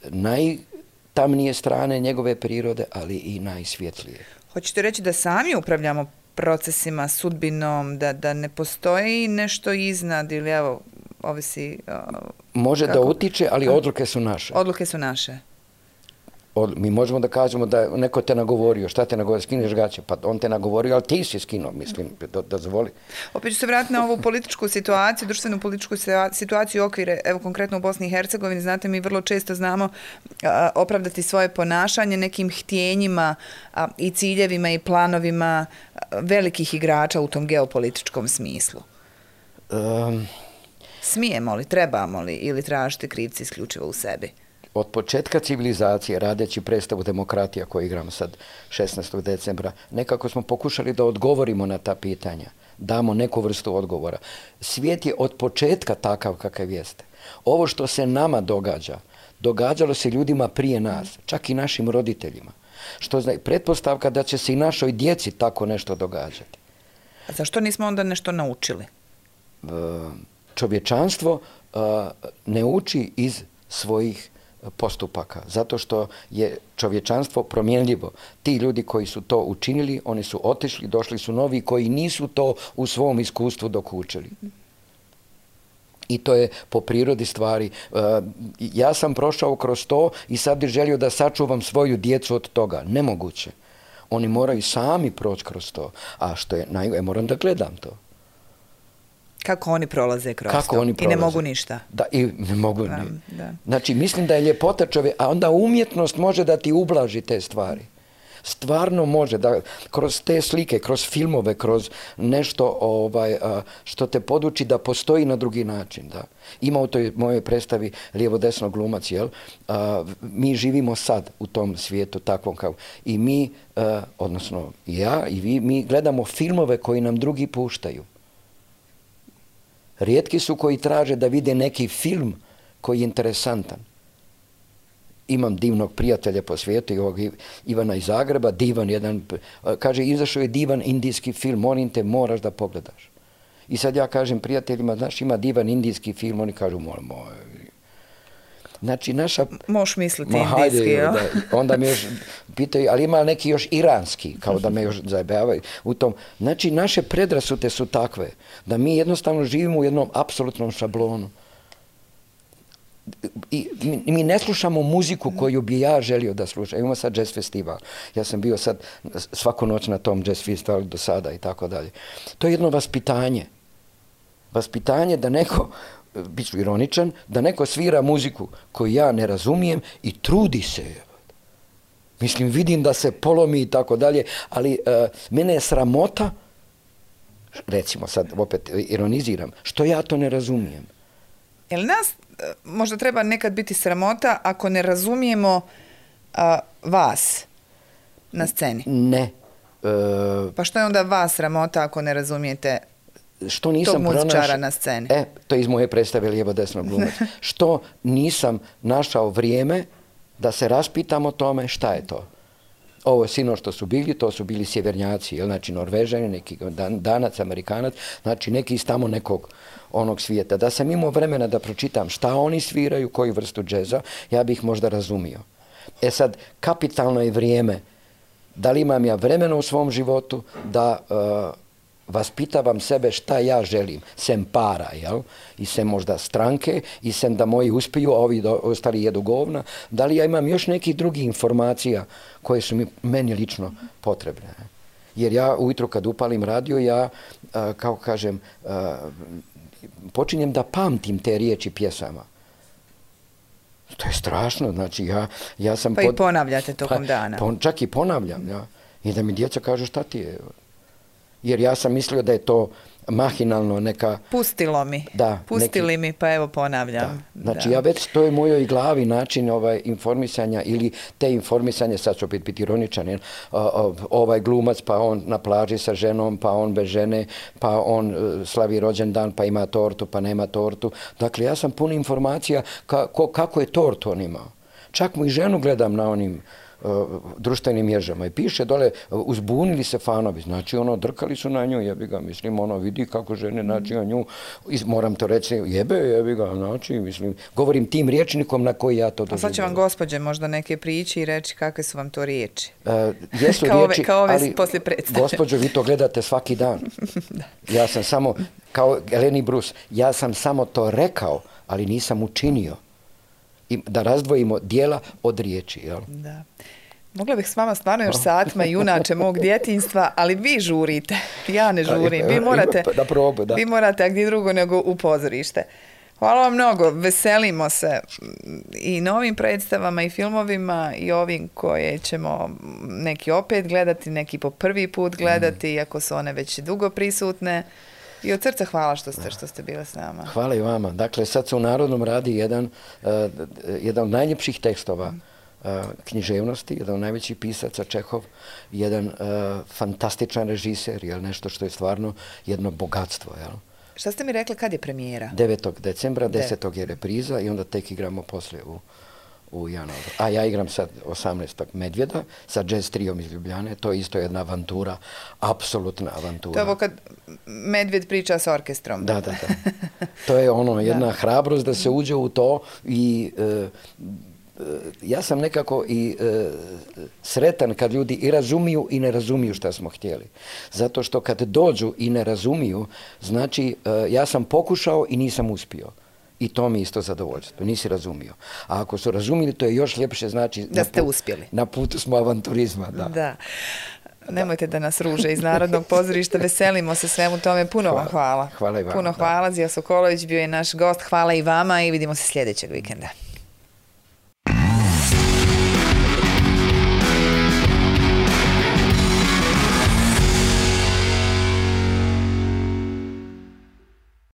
najtamnije strane njegove prirode, ali i najsvjetlije. Hoćete reći da sami upravljamo procesima, sudbinom, da ne postoji nešto iznad ili evo, ovisi... Može da utiče, ali odluke su naše. Odluke su naše. Mi možemo da kažemo da neko te nagovorio, šta te nagovorio, skineš gaće, pa on te nagovorio, ali ti si skinuo, mislim, dozvoli. Opet ću se vratiti na ovu političku situaciju, društvenu političku situaciju i okvire, evo konkretno u Bosni i Hercegovini, znate, mi vrlo često znamo opravdati svoje ponašanje nekim htjenjima i ciljevima i planovima velikih igrača u tom geopolitičkom smislu. Smijemo li, trebamo li ili tražite krivci isključivo u sebi? Od početka civilizacije, radeći predstavu Demokratija koju igram sad 16. decembra, nekako smo pokušali da odgovorimo na ta pitanja, damo neku vrstu odgovora. Svijet je od početka takav kakav jeste. Ovo što se nama događa, događalo se ljudima prije nas, čak i našim roditeljima. Što znači, pretpostavka da će se i našoj djeci tako nešto događati. A zašto nismo onda nešto naučili? Čovječanstvo ne uči iz svojih postupaka, zato što je čovječanstvo promjenljivo. Ti ljudi koji su to učinili, oni su otišli, došli su novi koji nisu to u svom iskustvu dokučili. I to je po prirodi stvari. Ja sam prošao kroz to i sad bih želio da sačuvam svoju djecu od toga. Nemoguće. Oni moraju sami proći kroz to. A što je moram da gledam to. Kako oni prolaze kroz to i ne mogu ništa. Da, i ne mogu. Znači, mislim da je ljepota čovjeka, a onda umjetnost može da ti ublaži te stvari. Stvarno može da kroz te slike, kroz filmove, kroz nešto što te poduči da postoji na drugi način. Da. Ima u toj mojoj predstavi lijevo-desno glumac, jel? Mi živimo sad u tom svijetu takvom kao i mi, odnosno ja i vi, mi gledamo filmove koji nam drugi puštaju. Rijetki su koji traže da vide neki film koji je interesantan. Imam divnog prijatelja po svijetu, ovog Ivana iz Zagreba, divan jedan, kaže, izašao je divan indijski film, molim te, moraš da pogledaš. I sad ja kažem prijateljima, znaš, ima divan indijski film, oni kažu, molim, znači, naša... Možeš misliti indijski, jel? Onda me još pitaju, ali ima neki još iranski, kao da me još zajebavaju u tom. Znači, naše predrasude su takve, da mi jednostavno živimo u jednom apsolutnom šablonu. I mi ne slušamo muziku koju bi ja želio da slušam. Imamo sad jazz festival. Ja sam bio sad svaku noć na tom jazz festivalu do sada i tako dalje. To je jedno vaspitanje. Vaspitanje da neko, bit ću ironičan, da neko svira muziku koju ja ne razumijem i trudi se. Mislim, vidim da se polomi i tako dalje, ali mene je sramota, recimo sad opet ironiziram, što ja to ne razumijem. Jel nas možda treba nekad biti sramota ako ne razumijemo vas na sceni? Ne. Pa što je onda vas sramota ako ne razumijete što nisam tog muzičara na sceni? To je iz moje predstave lijevo-desno glumac. Što nisam našao vrijeme da se raspitam o tome šta je to. Ovo sino što su bili, to su bili sjevernjaci, znači Norvežani, neki Danac, Amerikanac, znači neki iz tamo nekog onog svijeta. Da sam imao vremena da pročitam šta oni sviraju, koju vrstu džeza, ja bih možda razumio. E sad, kapitalno je vrijeme. Da li imam ja vremena u svom životu da vaspitavam sebe šta ja želim, sem para, jel? I sem možda stranke, i sem da moji uspiju, a ovi ostali jedu govna. Da li ja imam još nekih drugih informacija koje su meni lično potrebne? Jer ja ujutro kad upalim radio, ja, kao kažem, počinjem da pamtim te riječi pjesama. To je strašno, znači ja sam... Pa i ponavljate tokom dana. Čak i ponavljam, ja. I da mi djeca kažu šta ti je. Jer ja sam mislio da je to mahinalno neka... Pustilo mi. Da. Pustili mi, pa evo ponavljam. Da. Znači, ja već to je u mojoj glavi način informisanja ili te informisanje, sad ću opet biti ironičan, ovaj glumac, pa on na plaži sa ženom, pa on bez žene, pa on slavi rođendan, pa ima tortu, pa nema tortu. Dakle, ja sam pun informacija kako je tort on imao. Čak mu i ženu gledam na onim društvenim mrežama i piše dole, uzbunili se fanovi, znači drkali su na nju, jebi ga, mislim, vidi kako žene, znači na nju, moram to reći, jebi ga, znači, mislim, govorim tim rječnikom na koji ja to doživljam. A sad će vam gospođe možda neke prići i reći kakve su vam to riječi. Jesu riječi, kao ove ali, poslije predstave. Gospođo, vi to gledate svaki dan. Ja sam samo, kao Eleni Bruce, ja sam samo to rekao, ali nisam učinio. I da razdvojimo dijela od riječi. Jel? Da. Mogla bih s vama stvarno još satima junače mog djetinjstva, ali vi žurite. Ja ne žurim. Vi morate, a gdje drugo nego u pozorište. Hvala vam mnogo. Veselimo se i novim predstavama i filmovima i ovim koje ćemo neki opet gledati, neki po prvi put gledati, iako su one već dugo prisutne. I od srca hvala što ste bili s nama. Hvala i vama. Dakle, sad se u Narodnom radi jedan od najljepših tekstova književnosti, jedan od najvećih pisaca, Čehov, jedan fantastičan režiser, nešto što je stvarno jedno bogatstvo. Jel? Šta ste mi rekli, kad je premijera? 9. decembra, 10. je repriza i onda tek igramo poslije u januaru. A ja igram sad 18. Medvjeda sa jazz trijom iz Ljubljane. To je isto jedna avantura, apsolutna avantura. To je ovo kad Medvjed priča s orkestrom. Da. To je jedna hrabrost da se uđe u to i ja sam nekako i sretan kad ljudi i razumiju i ne razumiju šta smo htjeli. Zato što kad dođu i ne razumiju, znači ja sam pokušao i nisam uspio. I to mi isto zadovoljstvo. Nisi razumio. A ako su razumili, to je još ljepše, znači... Da ste uspjeli. Na putu smo avanturizma, da. Da. Nemojte da nas ruže iz Narodnog pozorišta. Veselimo se svemu tome. Puno vam hvala. Hvala i vama. Puno hvala. Zija Sokolović bio je naš gost. Hvala i vama i vidimo se sljedećeg vikenda.